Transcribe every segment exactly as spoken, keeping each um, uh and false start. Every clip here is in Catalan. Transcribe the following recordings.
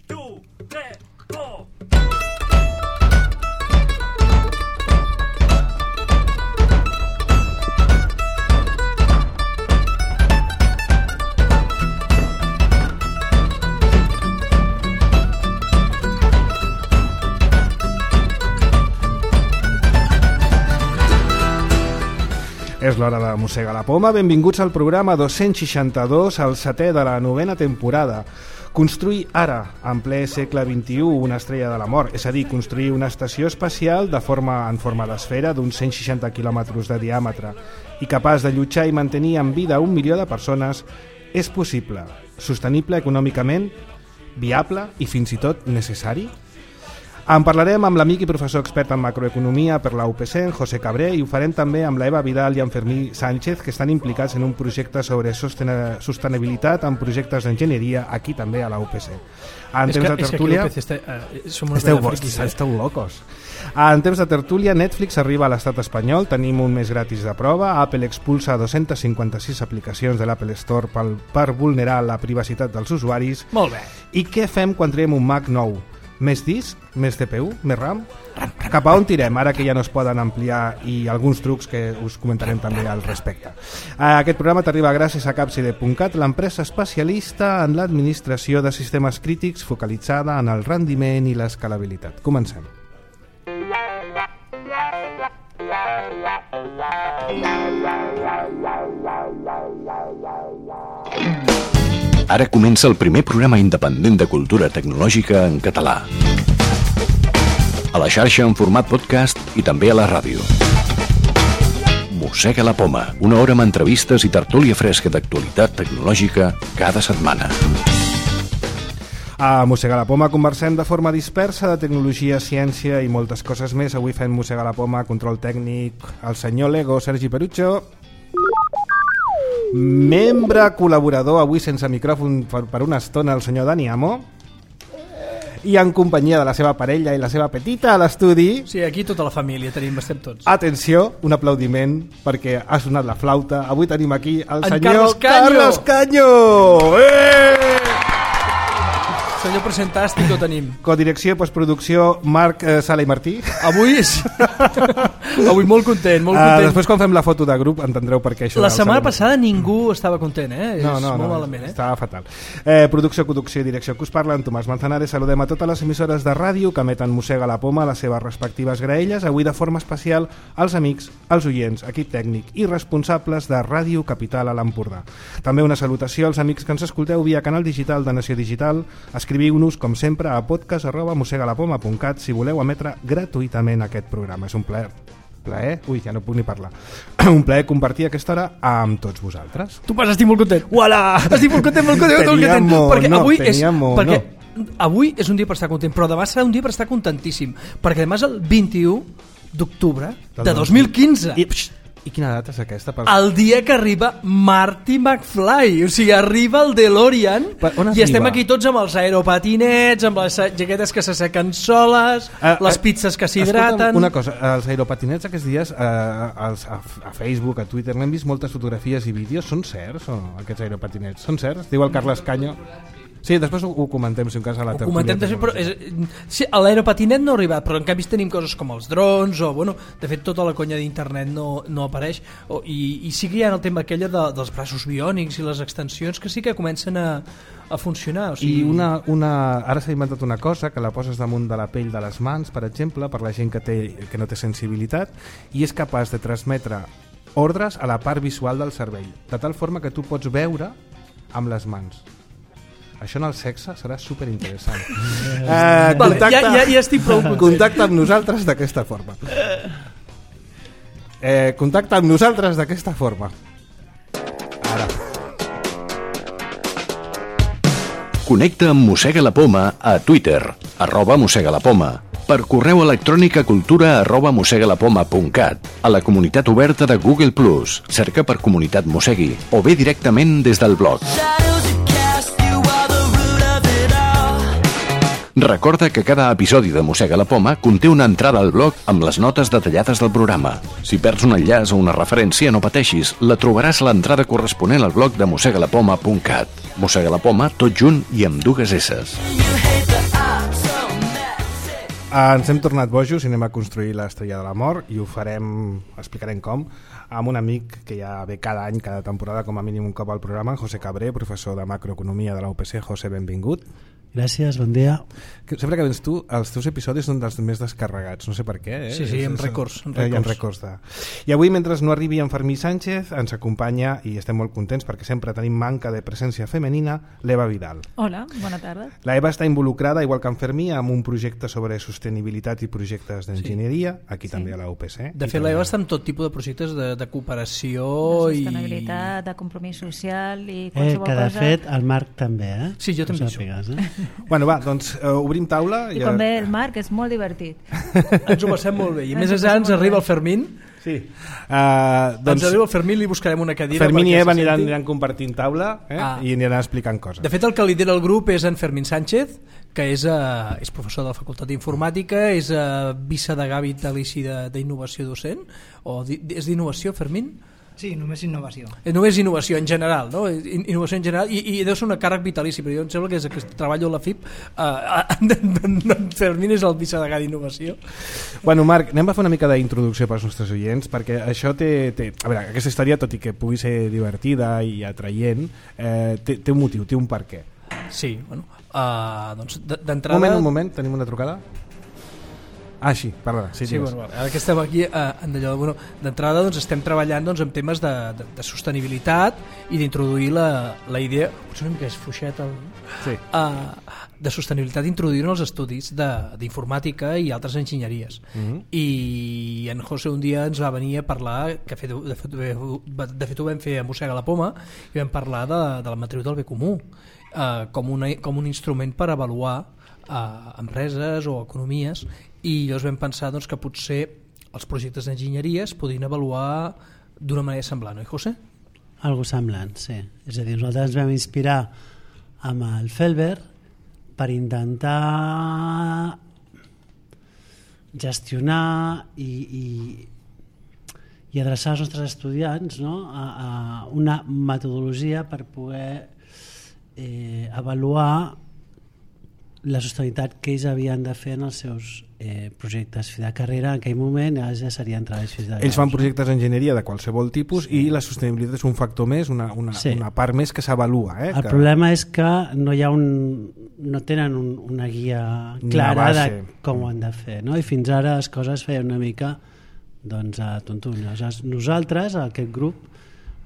dos, tres, go! És l'hora de mossegar la poma. Benvinguts al programa dos-cents seixanta-dos, el setè de la novena temporada. Construir ara, en ple segle vint-i-u, una estrella de la mort, és a dir, construir una estació espacial de forma en forma d'esfera d'uns cent seixanta quilòmetres de diàmetre i capaç de allotjar i mantenir en vida un milió de persones, és possible, sostenible econòmicament, viable i fins i tot necessari? En parlarem amb l'amic i professor expert en macroeconomia per la U P C, en José Cabré, i ho farem també amb l'Eva Vidal i en Fermí Sánchez, que estan implicats en un projecte sobre sostenibilitat en projectes d'enginyeria aquí també a la U P C. En temps de tertúlia... Esteu vostres, esteu locos. En temps de tertúlia, Netflix arriba a l'estat espanyol, tenim un mes gratis de prova, Apple expulsa dos-cents cinquanta-sis aplicacions de l'Apple Store per, per vulnerar la privacitat dels usuaris. Molt bé. I què fem quan traiem un Mac nou? Més disc? Més C P U? Més RAM? Cap a on tirem, ara que ja no es poden ampliar, i alguns trucs que us comentarem també al respecte. Aquest programa t'arriba gràcies a Capside punt cat, l'empresa especialista en l'administració de sistemes crítics focalitzada en el rendiment i l'escalabilitat. Comencem. Ara comença el primer programa independent de cultura tecnològica en català. A la xarxa en format podcast i també a la ràdio. Mossega la poma, una hora amb entrevistes i tertúlia fresca d'actualitat tecnològica cada setmana. A Mossega la poma conversem de forma dispersa de tecnologia, ciència i moltes coses més. Avui fem Mossega la poma, control tècnic, el senyor Lego, Sergi Perucho. Membre col·laborador, avui sense micròfon per, per una estona, el senyor Dani Amo, i en companyia de la seva parella i la seva petita a l'estudi. Sí, aquí tota la família tenim, estem tots. Atenció, un aplaudiment perquè ha sonat la flauta. Avui tenim aquí el en senyor Carlos Caño. Carlos Caño. Eh! Senyor presentàstic ho tenim. Codirecció i postproducció, Marc eh, Sala i Martí. Avui és... Avui molt content, molt content. Uh, després quan fem la foto de grup entendreu per què això. La setmana passada ningú estava content, eh? No, és no, molt no, malament, eh? Estava fatal. Eh, producció, conducció i direcció que us parla, en Tomàs Manzanares. Saludem a totes les emissores de ràdio que emeten Mossega la poma a les seves respectives graelles. Avui de forma especial als amics, als oients, equip tècnic i responsables de Ràdio Capital a l'Empordà. També una salutació als amics que ens escolteu via canal digital de Nació Digital. Escriviu-nos, com sempre, a podcast arroba mossegalapoma punt cat si voleu emetre gratuïtament aquest programa. És un plaer. Plaer? Ui, ja no puc ni parlar. Un plaer compartir aquesta hora amb tots vosaltres. Tu pas, estic molt content. Uala! Estic molt content, molt content, molt content. Perquè no, avui és... mo, perquè no. avui és un dia per estar content, però demà serà un dia per estar contentíssim. Perquè demà és el vint-i-u d'octubre de dos mil quinze. I, pxt, I quina data és aquesta? Per... El dia que arriba Marty McFly. O sigui, arriba el DeLorean i estem aquí tots amb els aeropatinets, amb les jaquetes que s'assequen soles, uh, les pizzas que s'hidraten. Una cosa, els aeropatinets aquests dies uh, als, a, a Facebook, a Twitter, n'hem vist moltes fotografies i vídeos. Són certs o no, aquests aeropatinets? Són certs? Diu el Carles Caño. Sí, després ho, ho comentem, si un cas a la tertúlia. Ho comentem després, però és, sí, l'aeropatinet no ha arribat, però en canvi tenim coses com els drons, o bueno, de fet tota la conya d'internet no, no apareix, o, i, i sí que hi ha el tema aquella de, dels braços biònics i les extensions que sí que comencen a, a funcionar. O sigui... I una, una, ara s'ha inventat una cosa, que la poses damunt de la pell de les mans, per exemple, per la gent que, té, que no té sensibilitat, i és capaç de transmetre ordres a la part visual del cervell, de tal forma que tu pots veure amb les mans. Això en el sexe serà superinteressant. Eh, vale, contacta, ja, ja, ja estic prou content. Contacta amb nosaltres d'aquesta forma. Eh, contacta amb nosaltres d'aquesta forma. Ara. Connecta amb Mossega la Poma a Twitter, arroba Mossega la Poma, per correu electrònic a cultura arroba mossegalapoma punt cat, a la comunitat oberta de Google plus, cerca per Comunitat Mossegui, o bé directament des del blog. Recorda que cada episodi de Mossega la Poma conté una entrada al blog amb les notes detallades del programa. Si perds un enllaç o una referència, no pateixis, la trobaràs a l'entrada corresponent al blog de mossegalapoma punt cat. Mossega la Poma, tot junt i amb dues esses. Ens hem tornat bojos i anem a construir l'Estrella de la Mort, i ho farem, explicarem com, amb un amic que ja ve cada any, cada temporada, com a mínim un cop al programa, José Cabré, professor de macroeconomia de la U P C. José, benvingut. Gràcies, bon dia. Sempre que vens tu, els teus episodis són dels més descarregats, no sé per què. Eh? Sí, sí, en records. En records. Eh, en records de... I avui, mentre no arribi en Fermí Sánchez, ens acompanya, i estem molt contents perquè sempre tenim manca de presència femenina, l'Eva Vidal. Hola, bona tarda. La Eva està involucrada, igual que en Fermí, amb un projecte sobre sostenibilitat i projectes d'enginyeria, aquí sí. també a la U P C. De fet, l'Eva està en tot tipus de projectes de, de cooperació de sostenibilitat, i... de compromís social i eh, qualsevol que de cosa... fet el Marc també, eh? Sí, jo també això. Eh? Bueno, va, doncs uh, obrim taula. I quan ve el Marc és molt divertit. Ens ho passem molt bé. I més enllà ens arriba el Fermín. Sí. Uh, doncs, ens arriba el Fermín i li buscarem una cadira. Fermín i Eva aniran, aniran compartint taula eh? ah. i aniran explicant coses. De fet, el que lidera el grup és en Fermín Sánchez, que és, uh, és professor de la Facultat d'Informàtica, és uh, vicedegà vitalici d'innovació docent, o di, és d'innovació, Fermín? Sí, només innovació. Només innovació en general, no? Innovació en general, i, i deu ser una càrrec vitalici, però jo em sembla que és que treballo a la F I P, uh, en Fermín és el vicedegà d'innovació. Bueno, Marc, anem a fer una mica d'introducció pels nostres oients, perquè això té, té... A veure, aquesta història, tot i que pugui ser divertida i atraient, eh, té, té un motiu, té un per què. Sí, bueno, uh, doncs d'entrada... Un moment, un moment, tenim una trucada? Ah, sí, perdona. Sí, sí, bueno, ara que estem aquí eh, bueno, d'entrada doncs, estem treballant doncs, en temes de, de, de sostenibilitat i d'introduir la, la idea, potser una mica és fluixet el, sí. uh, de sostenibilitat, introduir en els estudis d'informàtica i altres enginyeries. Uh-huh. I en José un dia ens va venir a parlar, que fet, de, fet, de fet ho vam fer a Mossega la Poma, i vam parlar de, de la matriu del bé comú uh, com, una, com un instrument per avaluar uh, empreses o economies, i llavors vam pensar doncs, que potser els projectes d'enginyeria es podrien avaluar d'una manera semblant, oi, José? Algo semblant, sí. És a dir, nosaltres ens vam inspirar amb el Felber per intentar gestionar i, i, i adreçar els nostres estudiants, no? a, a una metodologia per poder eh, avaluar la sostenibilitat que ells havien de fer en els seus eh, projectes fi de carrera. En aquell moment ja serien treballs fins de ells fan projectes d'enginyeria de qualsevol tipus, sí. i la sostenibilitat és un factor més, una, una, sí. una part més que s'avalua. Eh, el que... problema és que no hi ha un, no tenen un, una guia clara de com ho han de fer, no? I fins ara les coses feien una mica doncs, a tontunes. Nosaltres, aquest grup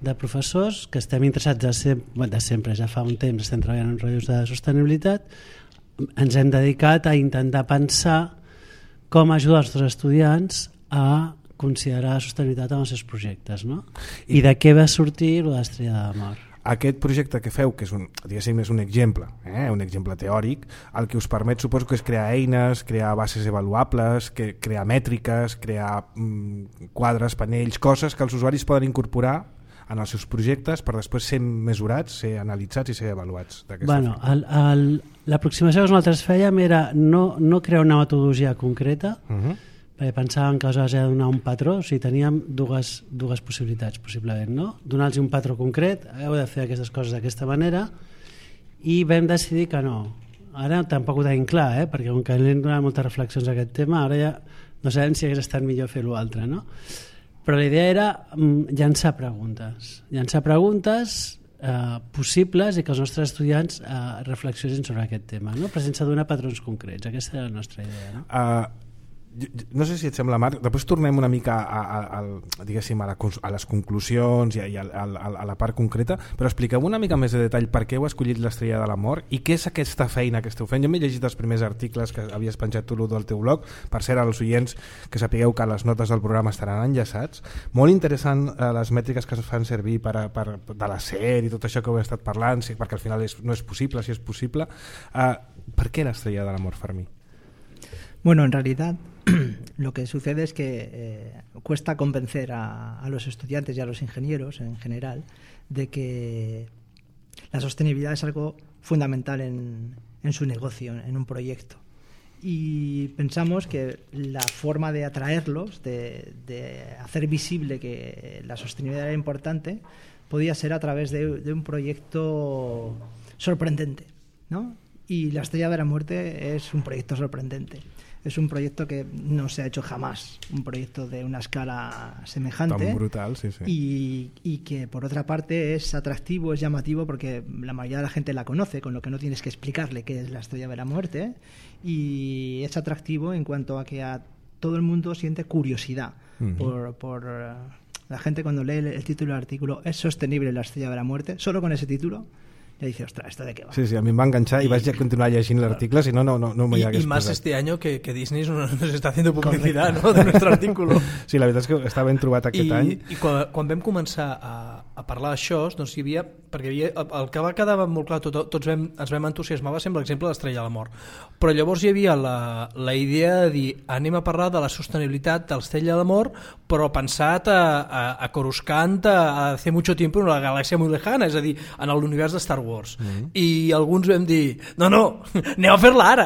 de professors que estem interessats de, sem de sempre, ja fa un temps estem treballant en rotllos de sostenibilitat, ens hem dedicat a intentar pensar com ajudar els nostres estudiants a considerar la sostenibilitat en els seus projectes, no? I, I de què va sortir l'Estrella de la Mort? Aquest projecte que feu, que és un, diguéssim, és un exemple, eh? un exemple teòric, el que us permet, suposo que és crear eines, crear bases avaluables, que, crear mètriques, crear mm, quadres, panells, coses que els usuaris poden incorporar en els seus projectes per després ser mesurats, ser analitzats i ser avaluats. Bueno, l'aproximació que nosaltres fèiem era no, no crear una metodologia concreta, uh-huh. perquè pensàvem que aleshores era donar un patró, o sigui, teníem dues, dues possibilitats, possiblement, no? Donar-los un patró concret, heu de fer aquestes coses d'aquesta manera, i vam decidir que no. Ara tampoc ho tenim clar, eh? perquè com que hem donat moltes reflexions a aquest tema, ara ja no sabem si hagués estat millor fer l'altre, no? Però la idea era llançar preguntes, llançar preguntes eh, possibles i que els nostres estudiants eh, reflexionin sobre aquest tema, no? Però sense donar patrons concrets. Aquesta era la nostra idea. No, uh, no sé si et sembla, Marc, després tornem una mica a, a, a, diguéssim, a, la, a les conclusions i, a, i a, a, a la part concreta, però expliqueu una mica més de detall per què heu escollit l'Estrella de la Mort i què és aquesta feina que esteu fent. Jo m'he llegit els primers articles que havies penjat tu del teu blog, per cert, als oients que sapigueu que les notes del programa estaran enllaçats. Molt interessant eh, les mètriques que es fan servir per a, per, de l'acer i tot això que heu estat parlant, sí, perquè al final és, no és possible, si és possible. Eh, per què l'Estrella de la Mort, Fermí? Bueno, en realidad lo que sucede es que eh, cuesta convencer a, a los estudiantes y a los ingenieros en general de que la sostenibilidad es algo fundamental en, en su negocio, en un proyecto. Y pensamos que la forma de atraerlos, de, de hacer visible que la sostenibilidad era importante, podía ser a través de, de un proyecto sorprendente, ¿no? Y La Estrella de la Muerte es un proyecto sorprendente. Es un proyecto que no se ha hecho jamás, un proyecto de una escala semejante. Tan brutal, sí, sí. Y, y que por otra parte es atractivo, es llamativo, porque la mayoría de la gente la conoce, con lo que no tienes que explicarle qué es La Estrella de la Muerte. Y es atractivo en cuanto a que a todo el mundo siente curiosidad uh-huh. por... por la gente cuando lee el título del artículo ¿es sostenible la Estrella de la Muerte? Solo con ese título le dice, ostras, ¿esto de qué va? Sí, sí, a mí me va a enganchar y, y vas a continuar leyendo el artículo, si no, no, no, no me y, y más este año que, que Disney nos está haciendo publicidad, no?, de nuestro artículo. Sí, la veritat és que està ben trobat aquest I, any. I quan, quan vam començar a, a parlar d'això, doncs hi havia, perquè hi havia, el que va quedar molt clar, tot, tots vam, ens vam entusiasmar, va ser l'exemple de l'Estrella de la Mort. Però llavors hi havia la, la idea de dir, anem a parlar de la sostenibilitat de l'Estrella de la Mort, però pensat a, a, a Coruscant a hace mucho tiempo en una galàxia muy lejana, és a dir, en l'univers de Star Wars. Mm-hmm. I i alguns vam dir, no, no, aneu a fer-la ara.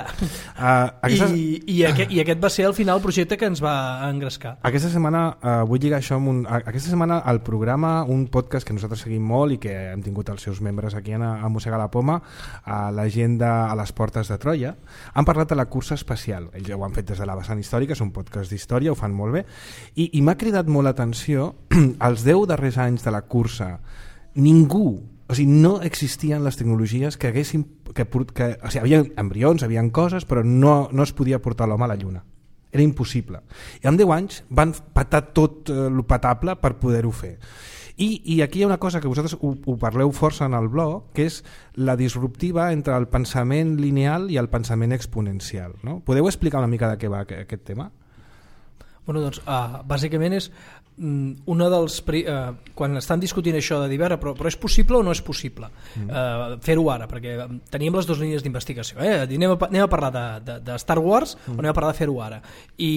Uh, aquestes... I, i, aquest, I aquest va ser al final el projecte que ens va engrescar. Aquesta setmana, uh, vull lligar això amb un... Aquesta setmana al programa, un podcast que nosaltres seguim molt i que hem tingut els seus membres aquí a, a Mossega la Poma, a l'agenda a les portes de Troia, han parlat de la cursa espacial. Ells ho han fet des de la vessant històrica, és un podcast d'història, ho fan molt bé, i, i m'ha cridat molt l'atenció els deu darrers anys de la cursa. Ningú, o sigui, no existien les tecnologies que haguessin... Que, que, o sigui, havia embrions, havia coses, però no, no es podia portar l'home a la Lluna. Era impossible. I en deu anys van patar tot eh, el patable per poder-ho fer. I, I aquí hi ha una cosa que vosaltres ho, ho parleu força en el blog, que és la disruptiva entre el pensament lineal i el pensament exponencial. No? Podeu explicar una mica de què va aquest tema? Bueno, doncs, uh, bàsicament és una dels uh, quan estan discutint això de dir, però, però és possible o no és possible mm. uh, fer-ho ara, perquè teníem les dues línies d'investigació, eh? anem, a, anem a parlar de, de, de Star Wars mm. o anem a parlar de fer-ho ara, i,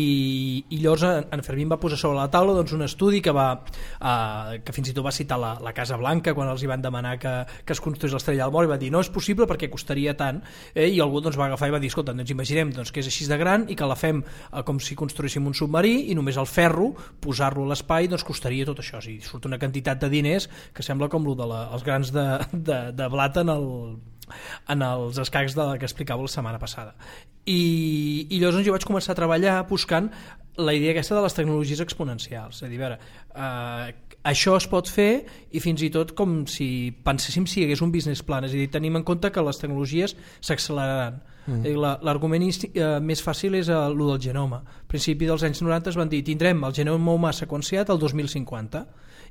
i llavors en, en Fermín va posar sobre la taula doncs, un estudi que va uh, que fins i tot va citar la, la Casa Blanca quan els hi van demanar que, que es construís l'Estrella del Mort, i va dir no és possible perquè costaria tant, eh? i algú doncs, va agafar i va dir, escolta, ens imaginem doncs, que és així de gran i que la fem uh, com si construíssim un submarí i només el ferro, posar-lo a l'espai doncs costaria tot això, o sigui, surt una quantitat de diners que sembla com el de la, els grans de, de, de blat en, el, en els escacs de, que explicava la setmana passada. I, i llavors jo vaig començar a treballar buscant la idea aquesta de les tecnologies exponencials, és a dir, a veure, eh, això es pot fer i fins i tot com si penséssim si hi hagués un business plan, és a dir, tenim en compte que les tecnologies s'acceleraran. Mm. L'argument uh, més fàcil és uh, el del genoma. A principi dels anys noranta es van dir tindrem el genoma humà seqüenciat el dos mil cinquanta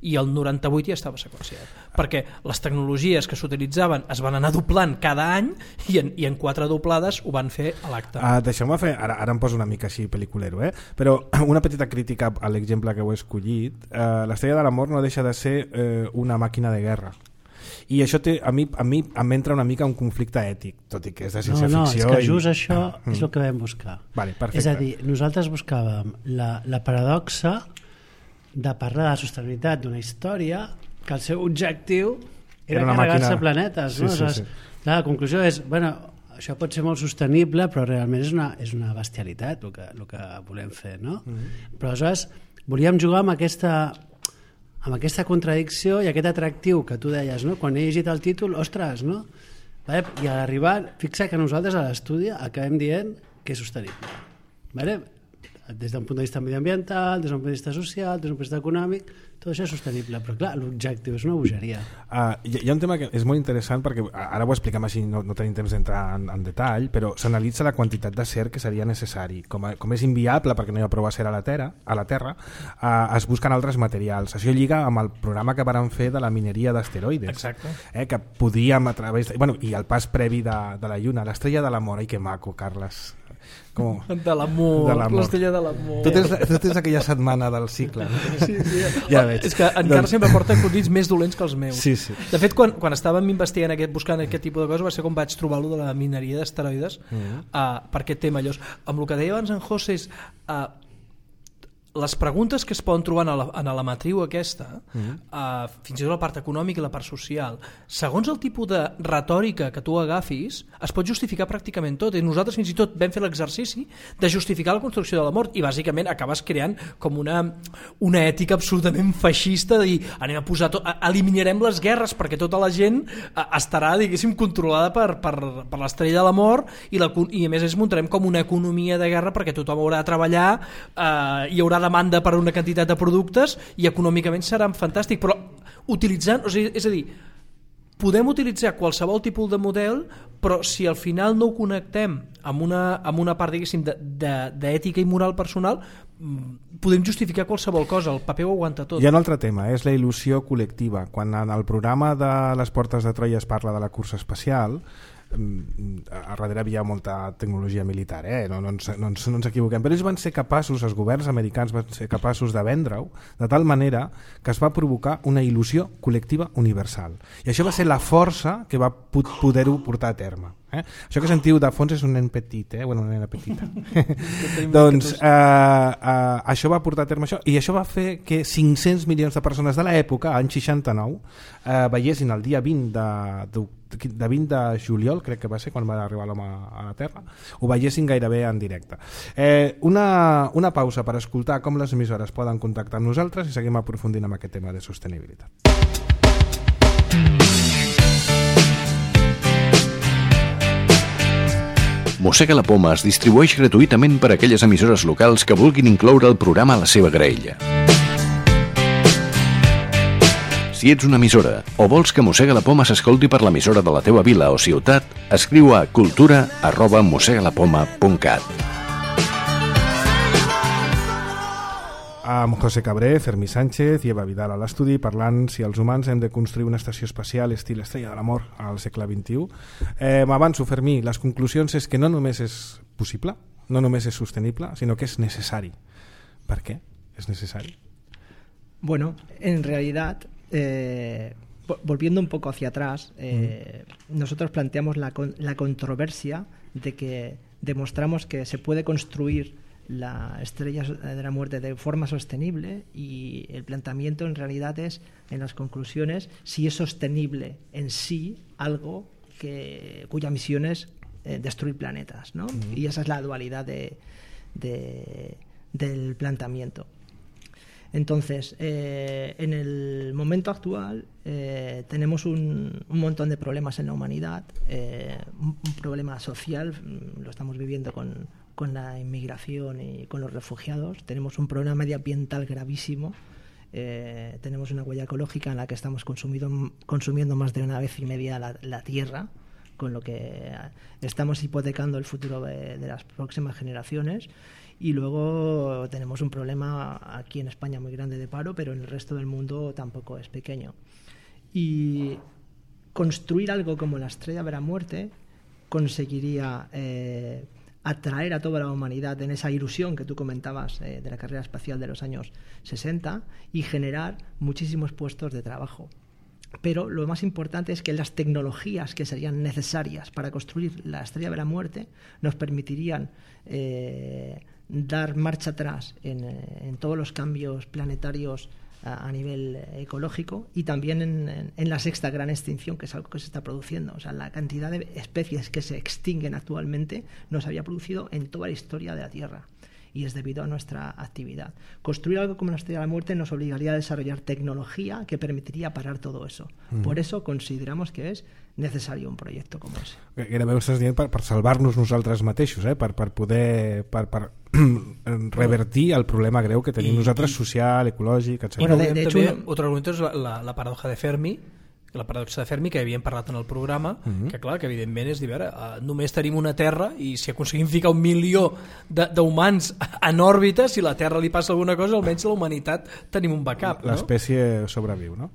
i el noranta-vuit ja estava seqüenciat, perquè les tecnologies que s'utilitzaven es van anar doblant cada any i en, i en quatre doblades ho van fer a l'acte. Uh, Deixeu-me fer, ara, ara em poso una mica així pel·liculero, eh? Però una petita crítica a l'exemple que heu escollit. uh, l'Estrella de la Mort no deixa de ser uh, una màquina de guerra. I això té, a mi, a mi em entra una mica un conflicte ètic, tot i que és de ciència-ficció. No, no, és que just i... això mm. és el que vam buscar. Vale, perfecte. És a dir, nosaltres buscàvem la, la paradoxa de parlar de la sostenibilitat d'una història que el seu objectiu era, era carregar-se màquina... planetes. Sí, no? sí, Aleshores, sí. Clar, la conclusió és, bueno, això pot ser molt sostenible, però realment és una, és una bestialitat el que, el que volem fer, no? Mm. Però aleshores volíem jugar amb aquesta... amb aquesta contradicció i aquest atractiu que tu deies, no? Quan he llegit el títol, ostres, no? Vale? I a l'arribar, fixa que nosaltres a l'estudi acabem dient que és sostenible. Vale? Des d'un punt de vista mediambiental, des d'un punt de vista social, des d'un punt de vista econòmic, tot això és sostenible, però clar, l'objectiu és una bogeria. Uh, hi, hi ha un tema que és molt interessant perquè ara ho expliquem així, no, no tenim temps d'entrar en, en detall, però s'analitza la quantitat de acer que seria necessari. Com, a, com és inviable perquè no hi ha prou acer a la Terra, a la terra uh, es busquen altres materials. Això lliga amb el programa que varen fer de la mineria d'asteroides. Exacte. Eh, que podíem a través... De, bueno, i el pas previ de, de la Lluna, l'Estrella de la Mort. Ai, que maco, Carles. Com... De l'amor, l'Estrella de l'amor. Tot és, tot és aquella setmana del cicle. No? Sí, sí. Ja veig. És que encara doncs... sempre porta acudits més dolents que els meus. Sí, sí. De fet, quan, quan estàvem investigant aquest, buscant aquest tipus de coses, va ser com vaig trobar-lo de la mineria d'asteroides, mm -hmm. uh, per aquest tema. Llavors, amb el que deia abans en José és... Uh, les preguntes que es poden trobar en la, en la matriu aquesta, mm-hmm. uh, fins i tot la part econòmica i la part social, segons el tipus de retòrica que tu agafis, es pot justificar pràcticament tot, i nosaltres fins i tot vam fer l'exercici de justificar la construcció de la mort, i bàsicament acabes creant com una, una ètica absolutament feixista de dir, anem a posar tot, eliminarem les guerres perquè tota la gent uh, estarà, diguéssim, controlada per, per, per l'estrella de la mort, i, la, i a més es muntarem com una economia de guerra perquè tothom haurà de treballar, uh, hi haurà demanda per una quantitat de productes i econòmicament serà fantàstic, però utilitzant, o sigui, és a dir, podem utilitzar qualsevol tipus de model, però si al final no ho connectem amb una, amb una part, diguéssim, d'ètica i moral personal, podem justificar qualsevol cosa, el paper ho aguanta tot. Hi ha un altre tema, és la il·lusió col·lectiva. Quan en el programa de les Portes de Troia es parla de la cursa espacial, a darrere havia molta tecnologia militar, eh? no, no, ens, no, ens, no ens equivoquem, però ells van ser capaços, els governs americans van ser capaços de vendre-ho de tal manera que es va provocar una il·lusió col·lectiva universal, i això va ser la força que va poder-ho portar a terme. Eh? Això que sentiu de fons és un nen petit, eh? bueno, una nena petita. Doncs eh, eh, això va portar a terme això, i això va fer que cinc-cents milions de persones de l'època, any seixanta-nou, eh, veiessin el dia vint de, de, de vint de juliol, crec que va ser quan va arribar l'home a la Terra, ho veiessin gairebé en directe. Eh, una, una pausa per escoltar com les emissores poden contactar amb nosaltres i seguim aprofundint amb aquest tema de sostenibilitat. Mossega la Poma es distribueix gratuïtament per a aquelles emissores locals que vulguin incloure el programa a la seva graella. Si ets una emissora o vols que Mossega la Poma s'escolti per l'emissora de la teva vila o ciutat, escriu a cultura arroba mossegalapoma punt cat. Amb José Cabré, Fermí Sánchez i Eva Vidal a l'estudi, parlant si els humans hem de construir una estació espacial estil Estrella de l'Amor al segle vint-i-u. Eh, M'avanço, Fermí, les conclusions és que no només és possible, no només és sostenible, sinó que és necessari. ¿Per qué es necessari? Bueno, en realidad, eh, volviendo un poco hacia atrás, eh, mm. nosotros planteamos la, la controversia de que demostramos que se puede construir la estrella de la muerte de forma sostenible, y el planteamiento en realidad es, en las conclusiones, si es sostenible en sí algo que, cuya misión es eh, destruir planetas, ¿no? Uh-huh. Y esa es la dualidad de, de, del planteamiento. Entonces, eh, en el momento actual eh, tenemos un, un montón de problemas en la humanidad, eh, un, un problema social, lo estamos viviendo con con la inmigración y con los refugiados, tenemos un problema medioambiental gravísimo, eh, tenemos una huella ecológica en la que estamos consumido, consumiendo más de una vez y media la, la tierra, con lo que estamos hipotecando el futuro de, de las próximas generaciones, y luego tenemos un problema aquí en España muy grande de paro, pero en el resto del mundo tampoco es pequeño. Y construir algo como la Estrella de la Muerte conseguiría eh, atraer a toda la humanidad en esa ilusión que tú comentabas eh, de la carrera espacial de los años sesenta y generar muchísimos puestos de trabajo. Pero lo más importante es que las tecnologías que serían necesarias para construir la Estrella de la Muerte nos permitirían eh, dar marcha atrás en, en todos los cambios planetarios a, a nivel ecológico, y también en, en, en la sexta gran extinción, que es algo que se está produciendo. O sea, la cantidad de especies que se extinguen actualmente no se había producido en toda la historia de la Tierra, y es debido a nuestra actividad. Construir algo como la Estrella de la Muerte nos obligaría a desarrollar tecnología que permitiría parar todo eso. Mm. Por eso consideramos que és necessari un projecte com ese. Gairebé ho estàs dient per, per salvar-nos nosaltres mateixos, eh? per, per poder per, per revertir el problema greu que tenim I, nosaltres, i, social, ecològic, etcètera. Bueno, de, de hecho, també, un... Otro argumento és la, la, la paradoja de Fermi, la paradoxa de Fermi, que havíem parlat en el programa, uh-huh. que clar, que evidentment és dir, veure, uh, només tenim una Terra, i si aconseguim ficar un milió d'humans en òrbita, si la Terra li passa alguna cosa, almenys la humanitat tenim un backup, ¿no? L'espècie sobreviu, ¿no?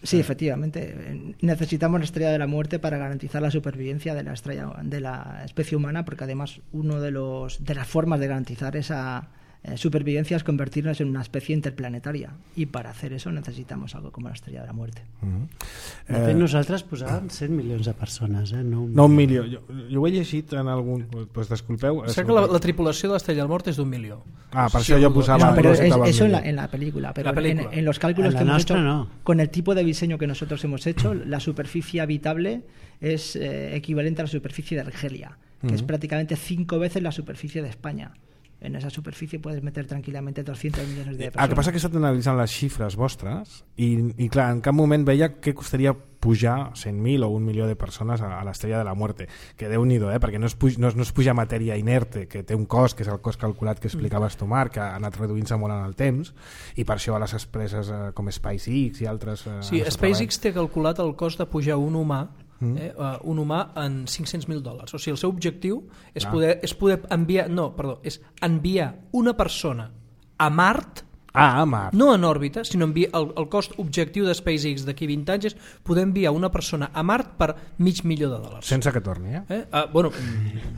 Sí, efectivamente. Necesitamos la Estrella de la Muerte para garantizar la supervivencia de la estrella, de la especie humana, porque además uno de los de las formas de garantizar esa eh, supervivencia es convertirnos en una especie interplanetaria, y para hacer eso necesitamos algo como la Estrella de la Muerte. Mm-hmm. De fet, nosaltres posàvem cent milions de persones, eh? no un No un milió. Jo, jo ho he llegit en algun... Pues disculpeu. O sigui que la, la tripulació de l'Estrella de la Mort és d'un milió. Ah, per això jo posava... No, pero es, posava el eso en la, milió. en la película, pero La película. En, en los cálculos En la que hemos nuestra hecho, no. con el tipo de diseño que nosotros hemos hecho, la superficie habitable es eh, equivalente a la superficie de Argelia, que es prácticamente cinco veces la superficie de España. En esa superficie puedes meter tranquilamente doscientos millones de persones. El que passa que he estat analitzant les xifres vostres i, i clar, en cap moment veia què costaria pujar cent mil o un milió de persones a, a l'Estrella de la Muerte, que Déu-n'hi-do, eh? perquè no es, puja, no, es, no es puja matèria inerte, que té un cost, que és el cost calculat que explicaves tu, Marc, que ha anat reduint-se molt en el temps, i per això a les empreses eh, com SpaceX i altres... Eh, Sí, SpaceX té calculat el cost de pujar un humà Eh, uh, un humà en cinc-cents mil dòlars. O sigui, el seu objectiu és, ah. poder, és poder enviar, no, perdó, és enviar una persona a Mart, Ah, a Mart. no en òrbita, sinó enviar, el, el cost objectiu de SpaceX d'aquí vint anys és poder enviar una persona a Mart per mig milió de dòlars. Sense que torni, eh? Eh? Ah, bueno,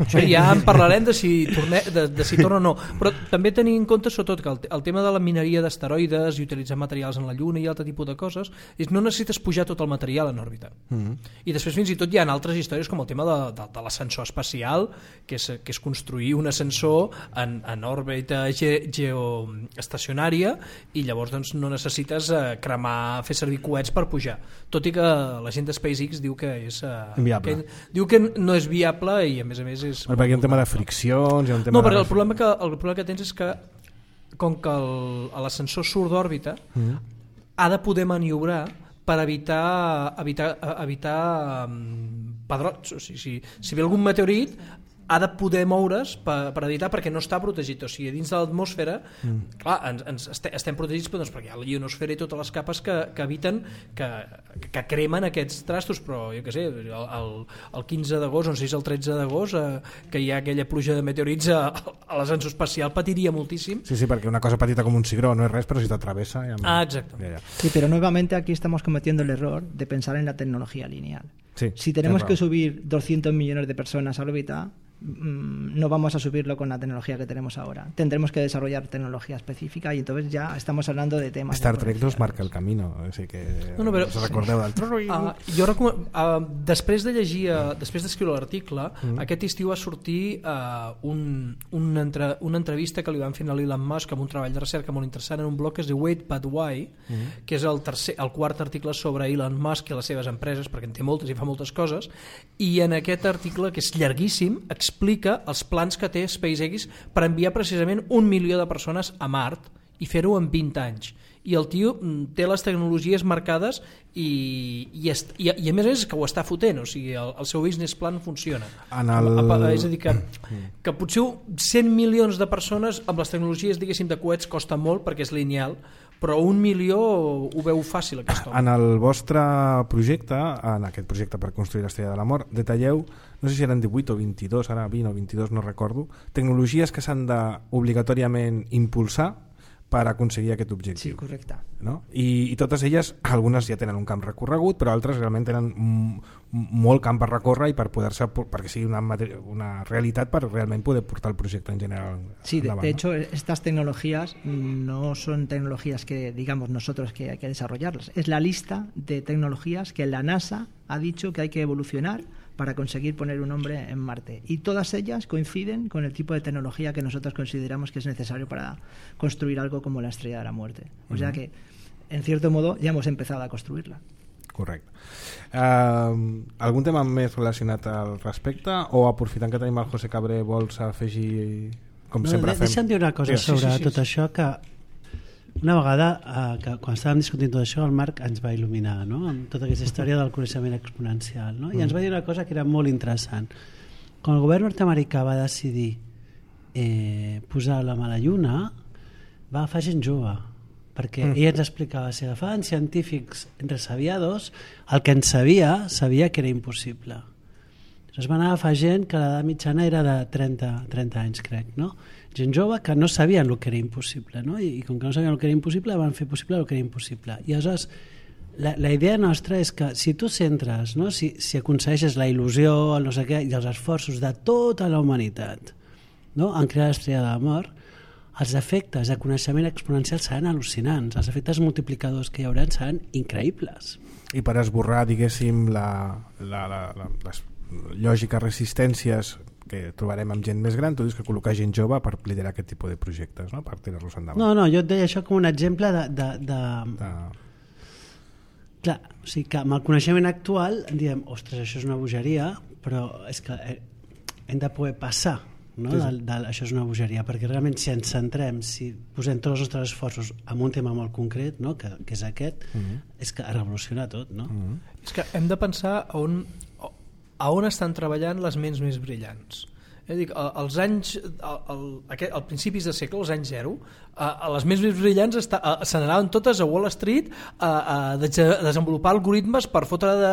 això ja en parlarem de si, torne, de, de si torna o no, però també tenir en compte sobretot que el, el tema de la mineria d'asteroides i utilitzar materials en la Lluna i altre tipus de coses és no necessites pujar tot el material en òrbita. Mm-hmm. I després fins i tot hi ha altres històries com el tema de, de, de l'ascensor espacial, que és, que és construir un ascensor en, en òrbita ge, geoestacionària, i llavors doncs, no necessites eh, cremar, fer servir coets per pujar, tot i que la gent de SpaceX diu que és eh, inviable, que, diu que no és viable i a més a més és... Perquè hi ha un tema de friccions, hi ha un tema no, perquè de... el problema, que, el problema que tens és que com que l'ascensor surt d'òrbita mm-hmm. ha de poder maniobrar per evitar evitar, evitar um, pedrots, o sigui, si, si ve algun meteorit ha de poder moure's per, per evitar, perquè no està protegit, o sigui, dins de l'atmosfera mm. clar, ens, ens este, estem protegits però, doncs, perquè hi ha la ionosfera i totes les capes que, que eviten que, que cremen aquests trastos, però jo què sé, el, el, el quinze d'agost, no sé si és el tretze d'agost eh, que hi ha aquella pluja de meteorits a, a l'ascensor espacial patiria moltíssim. Sí, sí, perquè una cosa petita com un cigró no és res, però si t'atravessa... Ja... Ah, exacte. Ja, ja. Sí, pero nuevamente aquí estamos cometiendo el error de pensar en la tecnología lineal. Sí, si tenemos que subir doscientos millones de personas a órbita, no vamos a subirlo con la tecnología que tenemos ahora. Tendremos que desarrollar tecnología específica y entonces ya estamos hablando de temas... Star de Trek nos marca el camino, així que no, no, però, us recordeu del... Uh, jo recom... uh, després de llegir, uh, després d'escriure l'article, mm. aquest estiu va sortir uh, un, un entre, una entrevista que li van fer a Elon Musk amb un treball de recerca molt interessant en un blog que es diu Wait But Why, mm. que és el, tercer, el quart article sobre Elon Musk i les seves empreses, perquè en té moltes i fa moltes coses, i en aquest article, que és llarguíssim, explica els plans que té SpaceX per enviar precisament un milió de persones a Mart i fer-ho en vint anys. I el tio té les tecnologies marcades i, i, est, i, i a més a més que ho està fotent, o sigui, el, el seu business plan funciona. En el... És a dir, que, que potser cent milions de persones amb les tecnologies, diguéssim, de coets costa molt perquè és lineal, però un milió ho veu fàcil, aquest home. En el vostre projecte, en aquest projecte per construir l'Estrella de la Mort, detalleu, no sé si eren divuit o vint-i-dos, ara vint o vint-i-dos, no recordo, tecnologies que s'han de obligatòriament impulsar per aconseguir aquest objectiu. Sí, correcte. No? I, I totes elles, algunes ja tenen un camp recorregut, però altres realment tenen molt camp per recórrer i per poder-se, perquè sigui una, una realitat per realment poder portar el projecte en general. Sí, de, endavant, de ¿no? hecho, estas tecnologías no son tecnologías que digamos nosotros que hay que desarrollarlas. Es la lista de tecnologías que la NASA ha dicho que hay que evolucionar para conseguir poner un hombre en Marte. Y todas ellas coinciden con el tipo de tecnología que nosotros consideramos que es necesario para construir algo como la Estrella de la Muerte. O sea que, en cierto modo, ya hemos empezado a construirla. Correcte. Uh, algun tema més relacionat al respecte o aprofitant que tenim el José Cabré vols afegir, com no, sempre de, fem? Deixa'm dir una cosa sí, sobre sí, sí, tot sí. això, que una vegada, eh, que quan estàvem discutint tot això, el Marc ens va il·luminar, no?, amb tota aquesta història del coneixement exponencial, no? I ens va dir una cosa que era molt interessant. Quan el govern nord-americà va decidir eh, posar l'home a la Lluna, va agafar gent jove, perquè mm. ell ens explicava, si agafaven científics resabiados, el que en sabia, sabia que era impossible. Llavors van agafar gent que l'edat mitjana era de trenta, trenta anys, crec, no? Gent jove que no sabien el que era impossible, no? I, i com que no sabien el que era impossible, van fer possible el que era impossible. I aleshores, la, la idea nostra és que si tu centres, no? si, si aconsegueixes la il·lusió, el no sé què, i els esforços de tota la humanitat, no? en crear l'Estrella de la Mort, els efectes de coneixement exponencial seran al·lucinants, els efectes multiplicadors que hi haurà seran increïbles. I per esborrar, diguéssim, la, la, la, la, les lògiques resistències que trobarem amb gent més gran, tu dius que col·locar gent jove per liderar aquest tipus de projectes, no? Per tirar-los endavant. No, no, jo et deia això com un exemple de... de, de... de... Clar, o sigui que amb el coneixement actual diem, ostres, això és una bogeria, però és que hem de poder passar, no? Sí, sí. Del, del, això és una bogeria, perquè realment si ens centrem, si posem tots els nostres esforços en un tema molt concret, no? que, que és aquest, mm-hmm. és que revoluciona tot, no? Mm-hmm. És que hem de pensar a on, a on estan treballant les ments més brillants. Eh, dic, als anys, al, al, al principis de segle, als anys zero, a, a les més brillants està, a, se n'anaven totes a Wall Street a, a, de, a desenvolupar algoritmes per fotre de,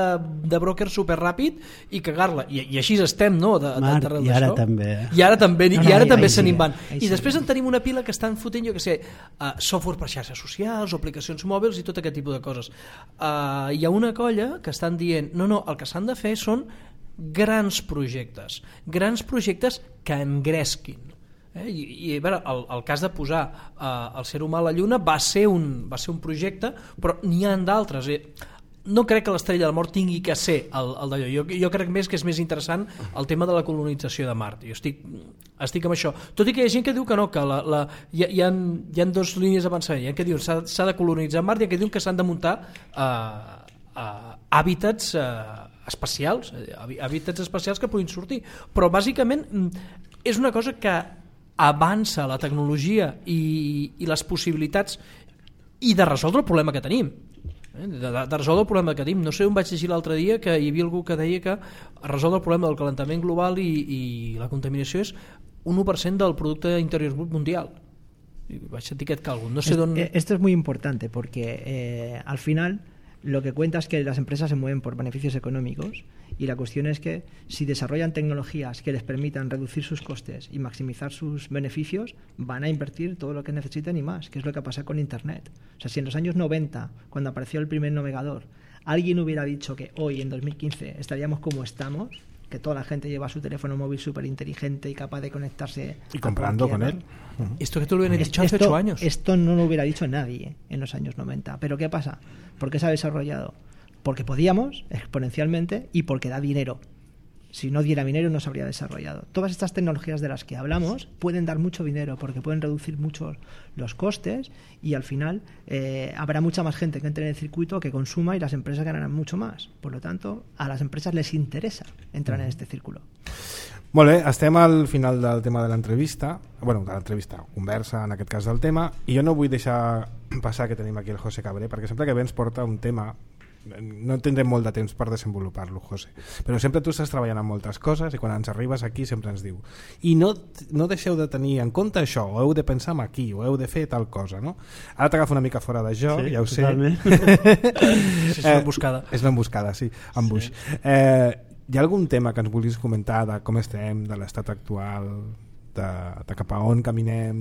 de broker superràpid i cagar-la. I, I així estem, no? De, Marc, de, de, i ara això. també. Eh? I ara també, No, i no, ara ahí- també ahí se sí, n'hi van. ahí I sí. després en tenim una pila que estan fotent, jo que sé, uh, software per xarxes socials o aplicacions mòbils i tot aquest tipus de coses. Uh, hi ha una colla que estan dient, no, no, el que s'han de fer són grans projectes, grans projectes que engresquin. Eh? I, i a veure, el, el cas de posar eh, el ser humà a la Lluna va ser un, va ser un projecte, però n'hi ha d'altres. Eh? No crec que l'Estrella de la Mort tingui que ser el, el d'allò. Jo, jo crec més que és més interessant el tema de la colonització de Mart. Jo estic, estic amb això. Tot i que hi ha gent que diu que no, que la, la, hi, ha, hi, ha, hi ha dos línies d'avançament. Hi ha que diuen s'ha, s'ha de colonitzar Mart i hi ha que diuen que s'han de muntar eh, eh, hàbitats eh, espacials, hàbitats espacials que puguin sortir, però bàsicament és una cosa que avança la tecnologia i, i les possibilitats i de resoldre el problema que tenim, de, de, de resoldre el problema que tenim. No sé on vaig llegir l'altre dia que hi havia algú que deia que resoldre el problema del calentament global i, i la contaminació és un u per cent del producte interior brut mundial. I vaig sentir aquest càlcul, no sé d'on... Esto es muy importante porque eh, al final lo que cuenta es que las empresas se mueven por beneficios económicos y la cuestión es que si desarrollan tecnologías que les permitan reducir sus costes y maximizar sus beneficios, van a invertir todo lo que necesiten y más, que es lo que pasa con Internet. O sea, si en los años noventa, cuando apareció el primer navegador, alguien hubiera dicho que hoy, en dos mil quince, estaríamos como estamos, que toda la gente lleva su teléfono móvil súper inteligente y capaz de conectarse... Y comprando con él. Esto que tú lo hubieras dicho hace Esto, ocho años. esto no lo hubiera dicho nadie en los años noventa. ¿Pero qué pasa? ¿Por qué se ha desarrollado? Porque podíamos, exponencialmente, y porque da dinero. Si no diera dinero no se habría desarrollado. Todas estas tecnologías de las que hablamos pueden dar mucho dinero porque pueden reducir mucho los costes y al final eh, habrá mucha más gente que entre en el circuito, que consuma y las empresas ganarán mucho más. Por lo tanto, a las empresas les interesa entrar en este círculo. Molt bé, estem al final del tema de l'entrevista, bueno, de l'entrevista, conversa en aquest cas del tema, i jo no vull deixar passar que tenim aquí el José Cabré, perquè sempre que ve ens porta un tema, no tindrem molt de temps per desenvolupar-lo, José, però sempre tu estàs treballant en moltes coses i quan ens arribes aquí sempre ens diu i no, no deixeu de tenir en compte això, o heu de pensar en aquí, o heu de fer tal cosa, no? Ara t'agafa una mica fora de joc, sí, ja ho sé. Sí, és una emboscada. Eh, és una emboscada, sí, embuix. Sí. Eh, hi ha algun tema que ens vulguis comentar de com estem, de l'estat actual, de, de cap a on caminem,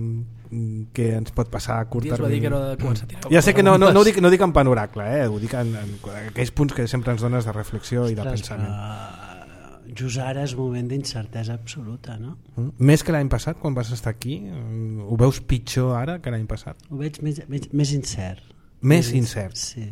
què ens pot passar a curt Dies va dir termini? que era de començar a tirar Ja sé que no, no, no, ho dic, no ho dic en panoracle, eh? Ho dic en, en aquells punts que sempre ens dones de reflexió i de Ostres, pensament. però just ara és un moment d'incertesa absoluta, no? Mm? Més que l'any passat, quan vas estar aquí? Ho veus pitjor ara que l'any passat? Ho veig més, més, més incert. Més incert? Sí.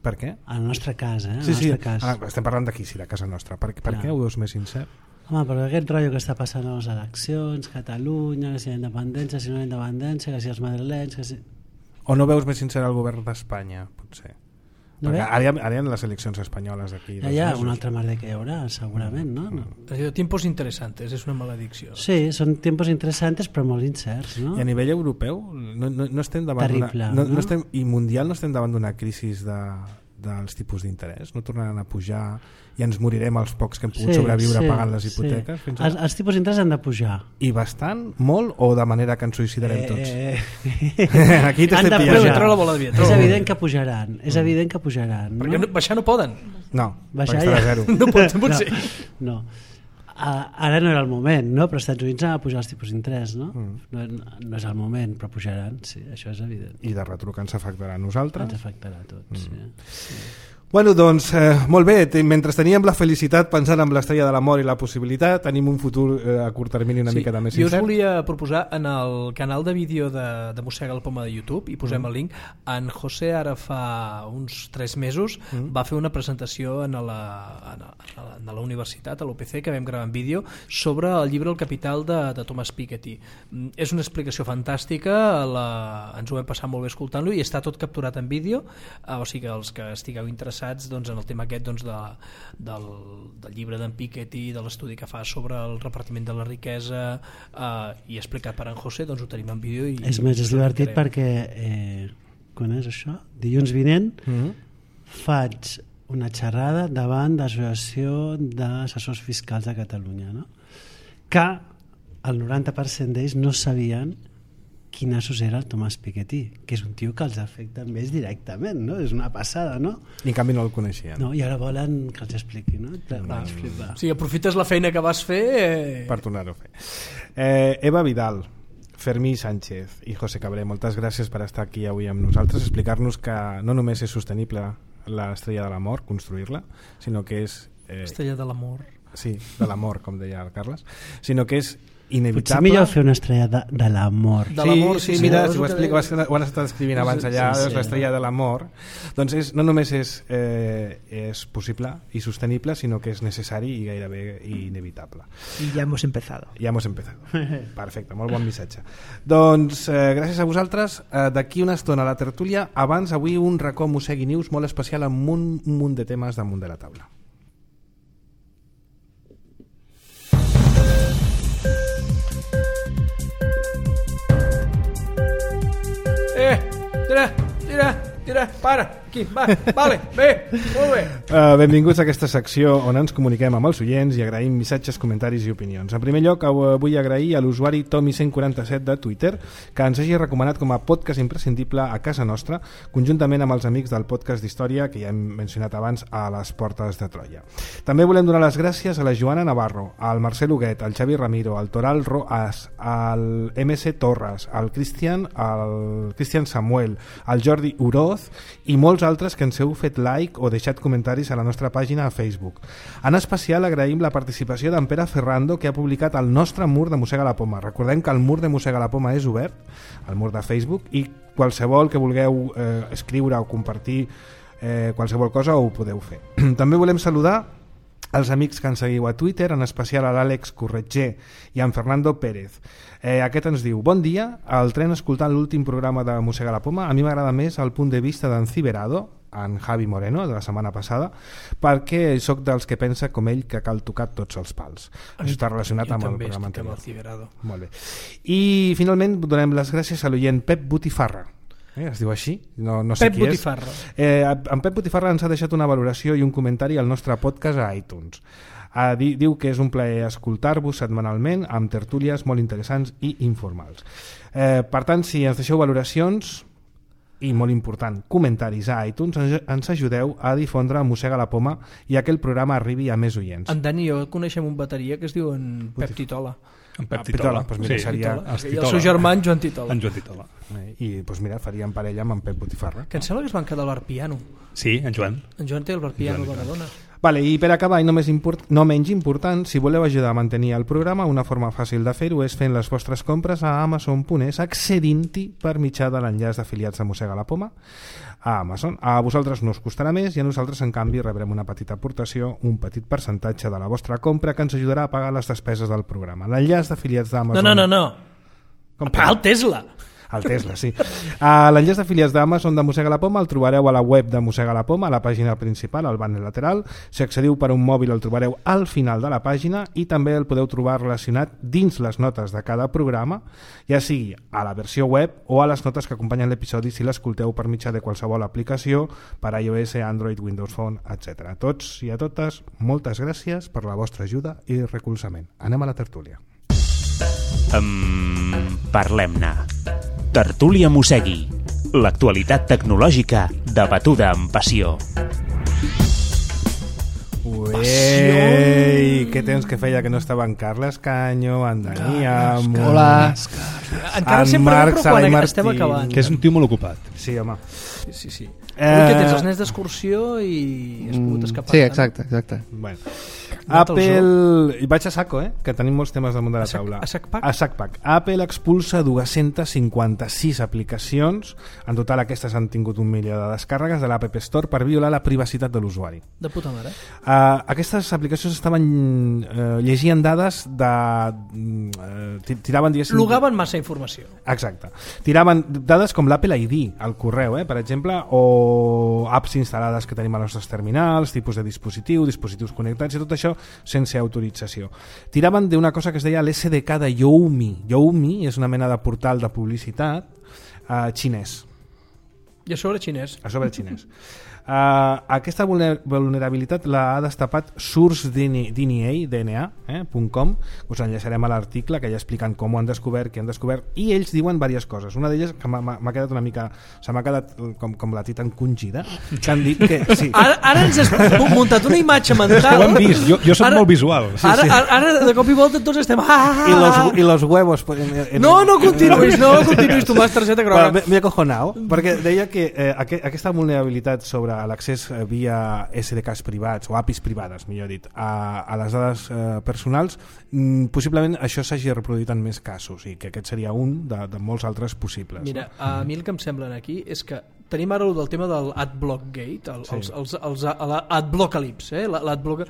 Per què? Al nostre cas, eh? Al Sí, sí, nostre cas. ah, estem parlant d'aquí, sí, de casa nostra. Per, per Clar. què ho veus més incert? Home, però aquest rotllo que està passant a les eleccions, Catalunya, que si la independència, si no la independència, que si els madrilenys, que si... O no veus més sincer el govern d'Espanya, potser? No Perquè ve? ara hi, ha, ara hi ha les eleccions espanyoles d'aquí. Ja hi ha un altre merder que hi haurà, segurament, no? no? Es diu tiempos interesantes, és una maledicció. Sí, són tempos interessants però molt incerts, no? I a nivell europeu no, no, no estem davant Terrible, d'una, no, no? no estem, i mundial no estem davant d'una crisi de, dels tipus d'interès, no tornaran a pujar i ens morirem els pocs que hem pogut Sí, sobreviure sí, pagant les sí. hipoteques fins Els, ara. els tipus d'interès han de pujar. I bastant, molt, o de manera que ens suïcidarem tots? Eh, Aquí han t'estic de pillant. pujar. Treu la bola de vidre, treu És la bola de evident que pujaran, és evident que pujaran. Perquè no, baixar no poden. No, Baixar perquè estarà ja. zero. No pot, no pot no, ser. no. Uh, ara no era el moment, no? Però als Estats Units han de pujar els tipus d'interès, no? Mm. no? No és el moment, però pujaran, sí, això és evident. I de retruc ens afectarà a nosaltres. Ens afectarà a tots, Mm. sí. sí. Bueno, doncs, eh, molt bé, T- mentre teníem la felicitat pensant en l'estrella de l'amor i la possibilitat, tenim un futur eh, a curt termini una Sí, mica més jo us incert. volia proposar en el canal de vídeo de, de Mossega la Poma de YouTube, i posem Mm. el link, en José ara fa uns tres mesos Mm. va fer una presentació en la, en la, en la universitat, a l'U P C, que vam gravar en vídeo, sobre el llibre El Capital de, de Thomas Piketty. Mm, És una explicació fantàstica, la, ens ho vam passar molt bé escoltant-lo i està tot capturat en vídeo, eh, o sigui que els que estigueu interessats doncs, en el tema aquest doncs, de, del, del llibre d'en Piketty, de l'estudi que fa sobre el repartiment de la riquesa, eh, i explicat per en José, doncs ho tenim en vídeo. I, És més, és us ho divertit explicarem. perquè eh, quan és això? Dilluns vinent Mm. faig una xerrada davant l'Associació d'Assessors Fiscals de Catalunya, no? Que el noranta per cent d'ells no sabien quin assessor era el Thomas Piketty, que és un tio que els afecta més directament, no? És una passada, no? I en canvi no el coneixien. No, i ara volen que els expliqui, no? Vaig flipar. O sigui, aprofites la feina que vas fer... Eh... Per tornar-ho a fer. Eh, Eva Vidal, Fermí Sánchez i José Cabré, moltes gràcies per estar aquí avui amb nosaltres, explicar-nos que no només és sostenible l'estrella de l'amor, construir-la, sinó que és... Eh, Estrella de l'amor. sí, de l'amor, com deia el Carles, sinó que és Potser inevitable... millor fer una estrella de, de l'amor. De Sí, l'amor, sí, sí, mira, sí, si ho és el que explico, deia. ho han estat escrivint abans allà, Sí, sí. és l'estrella de l'amor. Doncs és, no només és, eh, és possible i sostenible, sinó que és necessari i gairebé inevitable. Y ya hemos empezado. Ja hemos empezado. Perfecte, molt bon missatge. Doncs eh, gràcies a vosaltres. Eh, D'aquí una estona a la tertúlia. Abans, avui un racó Mossegui News molt especial amb un munt de temes damunt de la taula. Eh, tira, tira, tira, para, aquí, va, vale, bé, molt bé. Uh, benvinguts a aquesta secció on ens comuniquem amb els oients i agraïm missatges, comentaris i opinions. En primer lloc, uh, vull agrair a l'usuari Tommy cent quaranta-set de Twitter que ens hagi recomanat com a podcast imprescindible a casa nostra, conjuntament amb els amics del podcast d'història que ja hem mencionat abans a les portes de Troia. També volem donar les gràcies a la Joana Navarro, al Marcel Huguet, al Xavi Ramiro, al Toral Roas, al M C Torres, al Cristian, al Cristian Samuel, al Jordi Uroz i molts altres que ens heu fet like o deixat comentaris a la nostra pàgina a Facebook. En especial agraïm la participació d'en Pere Ferrando, que ha publicat el nostre mur de Mossega la Poma. Recordem que el mur de Mossega la Poma és obert, el mur de Facebook, i qualsevol que vulgueu eh, escriure o compartir eh, qualsevol cosa ho podeu fer. També volem saludar els amics que ens seguiu a Twitter, en especial a l'Àlex Corretger i a en Fernando Pérez. Eh, aquest ens diu: bon dia, al tren escoltant l'últim programa de Mossega la Poma, a mi m'agrada més el punt de vista d'en Ciberado, en Javi Moreno, de la setmana passada, perquè sóc dels que pensa com ell que cal tocar tots els pals. Això està relacionat amb el programa anterior. anterior. El Ciberado. Molt bé. I finalment donem les gràcies a l'oient Pep Botifarra. Eh, es diu així? No, no sé Pep qui Botifarra. és. Eh, en Pep Botifarra ens ha deixat una valoració i un comentari al nostre podcast a iTunes. Ah, di, diu que és un plaer escoltar-vos setmanalment amb tertúlies molt interessants i informals. Eh, per tant, si ens deixeu valoracions i, molt important, comentaris a iTunes, ens, ens ajudeu a difondre Mossega la Poma i a que el programa arribi a més oients. En Dani i jo coneixem un bateria que es diu en Pep Titola. En Pep Ah, Titola. Titola, doncs mira, seria- Titola. es I el Titola. seu germà, en Joan Titola. En Joan Titola. Eh, I doncs mira, faríem parella amb en Pep Botifarra. Que em sembla que es van quedar al bar piano. Sí, en Joan. En Joan té el bar piano a Joan, Badalona. Vale, i per acabar, i no, més import, no menys important, si voleu ajudar a mantenir el programa, una forma fàcil de fer-ho és fent les vostres compres a amazon punt es, accedint-hi per mitjà de l'enllaç d'afiliats de Mossega la Poma a Amazon. A vosaltres no us costarà més i a nosaltres, en canvi, rebrem una petita aportació, un petit percentatge de la vostra compra que ens ajudarà a pagar les despeses del programa. L'enllaç d'afiliats No, d'Amazon... no, no, no. Com A pagar el Tesla. El Tesla, sí. Uh, L'enllaç d'afiliats d'Amazon de Mossega la Poma el trobareu a la web de Mossega la Poma, a la pàgina principal, al banner lateral. Si accediu per un mòbil el trobareu al final de la pàgina i també el podeu trobar relacionat dins les notes de cada programa, ja sigui a la versió web o a les notes que acompanyen l'episodi si l'escolteu per mitjà de qualsevol aplicació per a iOS, Android, Windows Phone, etcètera. A tots i a totes, moltes gràcies per la vostra ajuda i recolzament. Anem a la tertúlia. Um, Parlem-ne. Tertúlia Mossegui. L'actualitat tecnològica debatuda amb passió. Uei, què temps que feia que no estava en Carles Canyo, en Dani Amo... Hola. Encara en sempre Marc no, però Sala i quan Martí. estem acabant. Que és un tio molt ocupat. Sí, home. Sí, sí, sí. Eh... Avui que tens els nens d'excursió i has pogut escapar. Sí, exacte, exacte. Bueno. Apple... I vaig a saco, eh? Que tenim molts temes damunt de la A sac- taula. a sac pack? A sac pack. Apple expulsa dues-centes cinquanta-sis aplicacions. En total aquestes han tingut un milió de descàrregues de l'App Store per violar la privacitat de l'usuari. De puta mare. Uh, aquestes aplicacions estaven uh, llegien dades de uh, tiraven diguéssim Logaven massa informació. exacte, tiraven dades com l'Apple I D al correu, eh, per exemple, o apps instal·lades que tenim als nostres terminals, tipus de dispositiu, dispositius connectats i tot això sense autorització. Tiraven d'una cosa que es deia l'S D K de Youmi. Youmi és una mena de portal de publicitat uh, xinès. I a sobre xinès. A sobre xinès. Uh, aquesta vulner vulnerabilitat l'ha destapat source D N A punt com, eh, us enllaçarem a l'article que ja expliquen com ho han descobert, què han descobert, i ells diuen diverses coses. Una d'elles que m'ha quedat una mica, se m'ha quedat com, com la tita encongida, que han dit que sí. Ara, ara ens has muntat una imatge mental. Ho hem vist, jo, jo soc ara, molt visual. Sí, ara, sí. Ara, ara de cop i volta tots estem... Ah, I los, i los huevos... En, en, no, no continuïs, no continuïs, tu m'has targeta groga. Bueno, m'he acojonat, perquè deia que eh, aqu aquesta vulnerabilitat sobre l'accés eh, via S D Ks privats o A P Is privades, millor dit, a, a les dades eh, personals, mm, possiblement això s'hagi reproduït en més casos i que aquest seria un de, de molts altres possibles. Mira, a mi el que em semblen aquí és que tenim ara el del tema del Adblock Gate, el, sí. els, els, els, l'Adbloccalypse, eh? l'Adblock...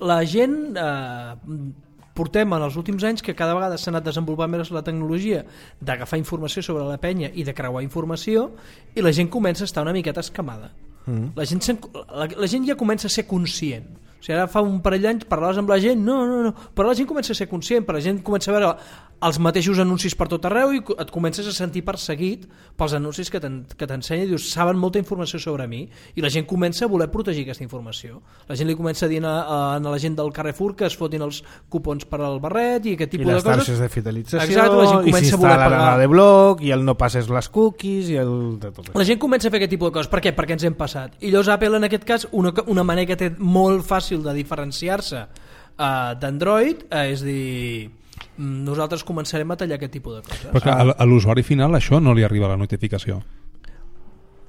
La gent... Eh, portem en els últims anys que cada vegada s'ha anat desenvolupant més la tecnologia d'agafar informació sobre la penya i de creuar informació, i la gent comença a estar una miqueta escamada. Mm. La, gent la, la gent ja comença a ser conscient. O sigui, ara fa un parell d'anys parlaves amb la gent, no, no, no, però la gent comença a ser conscient, però la gent comença a veure els mateixos anuncis per tot arreu i et comences a sentir perseguit pels anuncis que t'ensenya, dius, saben molta informació sobre mi, i la gent comença a voler protegir aquesta informació. La gent li comença a dir a, a, a la gent del Carrefour que es fotin els cupons per al barret i aquest tipus de coses. I les targes de fidelització. Exacte, la gent comença a voler pagar. La de bloc i el no passes les cookies i el de tot això. La gent comença a fer aquest tipus de coses. Per què? Perquè ens hem passat. I llavors Apple en aquest cas, una, una manera que té molt fàcil de diferenciar-se uh, d'Android uh, és dir... nosaltres començarem a tallar aquest tipus de coses. Perquè a, a l'usuari final això no li arriba la notificació.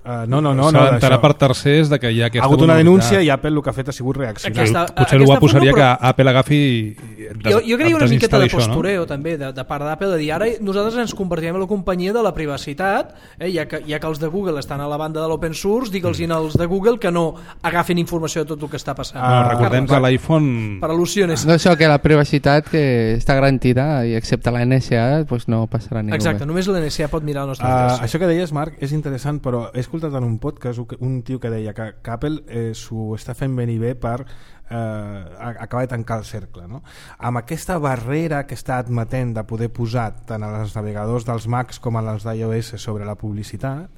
Uh, no, no, no, S'ha no d'enterar per tercers de que hi ha aquesta ha hagut una denúncia i Apple el que ha fet ha sigut reaccionar. Aquesta, potser el guapo seria però... que Apple agafi des, jo, jo creia una miqueta de això, postureo, no? també, de, de part d'Apple, de dir ara nosaltres ens convertirem en la companyia de la privacitat, eh, ja, que, ja que els de Google estan a la banda de l'open source, digue'ls mm. als de Google que no agafin informació de tot el que està passant. Ah, recordem que l'iPhone... Per al·lusions. No, això, que la privacitat que està garantida i excepte la N S A pues no passarà ningú. Exacte, només la N S A pot mirar el nostre uh, adreça. Això que deies, Marc, és interessant, però he escoltat en un podcast un tio que deia que, que Apple eh, s'ho està fent ben i bé per eh, acabar de tancar el cercle, no? Amb aquesta barrera que està admetent de poder posar tant als navegadors dels Macs com als d'iOS sobre la publicitat,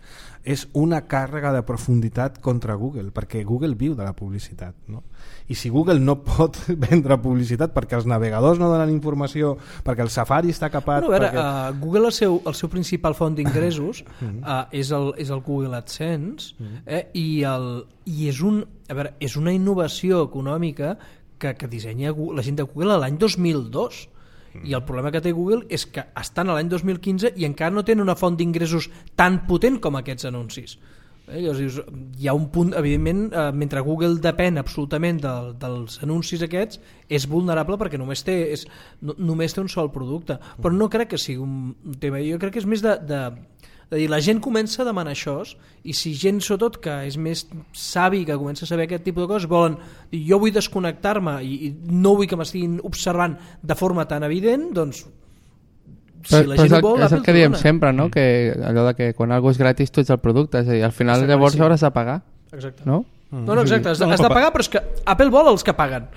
és una càrrega de profunditat contra Google, perquè Google viu de la publicitat, no? I si Google no pot vendre publicitat perquè els navegadors no donen informació, perquè el Safari està capat... Bueno, a veure, perquè... uh, Google, el seu, el seu principal font d'ingressos uh, és, el, és el Google AdSense, eh, i, el, i és, un, a veure, és una innovació econòmica que, que dissenya la gent de Google l'any dos mil dos. I el problema que té Google és que estan a l'any dos mil quinze i encara no tenen una font d'ingressos tan potent com aquests anuncis. Eh, llavors, hi ha un punt, evidentment, eh, mentre Google depèn absolutament de, dels anuncis aquests, és vulnerable perquè només té, és, no, només té un sol producte. Però no crec que sigui un tema, jo crec que és més de... de de dir, la gent comença a demanar això, i si gent sobretot que és més savi, que comença a saber aquest tipus de coses, volen dir, jo vull desconnectar-me i, i no vull que m'estiguin observant de forma tan evident, doncs si però, la gent però ho vol, és el que diem dona. sempre, no? Que allò de que quan algo és gratis tu ets el producte, és a dir, al final Exacte, llavors sí. hauràs de pagar. Exacte. No? No, no, exacte, has de, No, has de pa- pagar, però és que Apple vol els que paguen.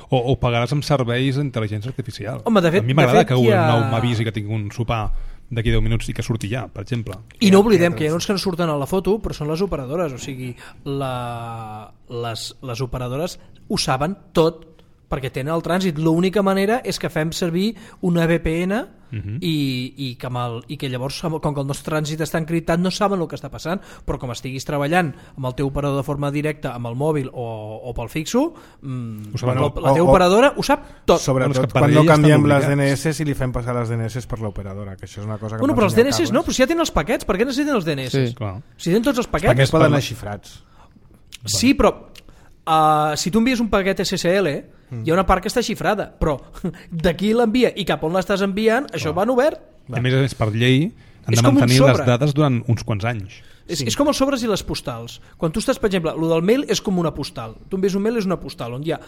O, o pagaràs amb serveis d'intel·ligència artificial. Home, de fet- a mi m'agrada de fet que hi un ha- nou m'avisi que tinc un sopar d'aquí deu minuts i que surti ja, per exemple. I no oblidem que hi ha uns que no surten a la foto, però són les operadores, o sigui, la, les, les operadores ho saben tot perquè tenen el trànsit. L'única manera és que fem servir una V P N uh-huh. i, i, que amb el, i que llavors, com que el nostre trànsit està encriptat, no saben el que està passant, però com estiguis treballant amb el teu operador de forma directa, amb el mòbil o, o pel fixo, mmm, bueno, la, la teva o, operadora ho sap tot. Sobretot quan no canviem les D N S i li fem passar les D N S per l'operadora, que això és una cosa que... Bueno, però els D N S no, però si ja tenen els paquets, per què necessiten els D N S? Sí, clar. Si tenen tots els paquets... Els paquets poden anar xifrats. Sí, però uh, si tu envies un paquet S S L, mm. hi ha una part que està xifrada, però d'aquí l'envia i cap on l'estàs enviant, això va en obert. A més a més, per llei, han de mantenir les dades durant uns quants anys. És, sí. és com els sobres i les postals. Quan tu estàs, per exemple, el del mail és com una postal. Tu envies un mail, és una postal, on hi ha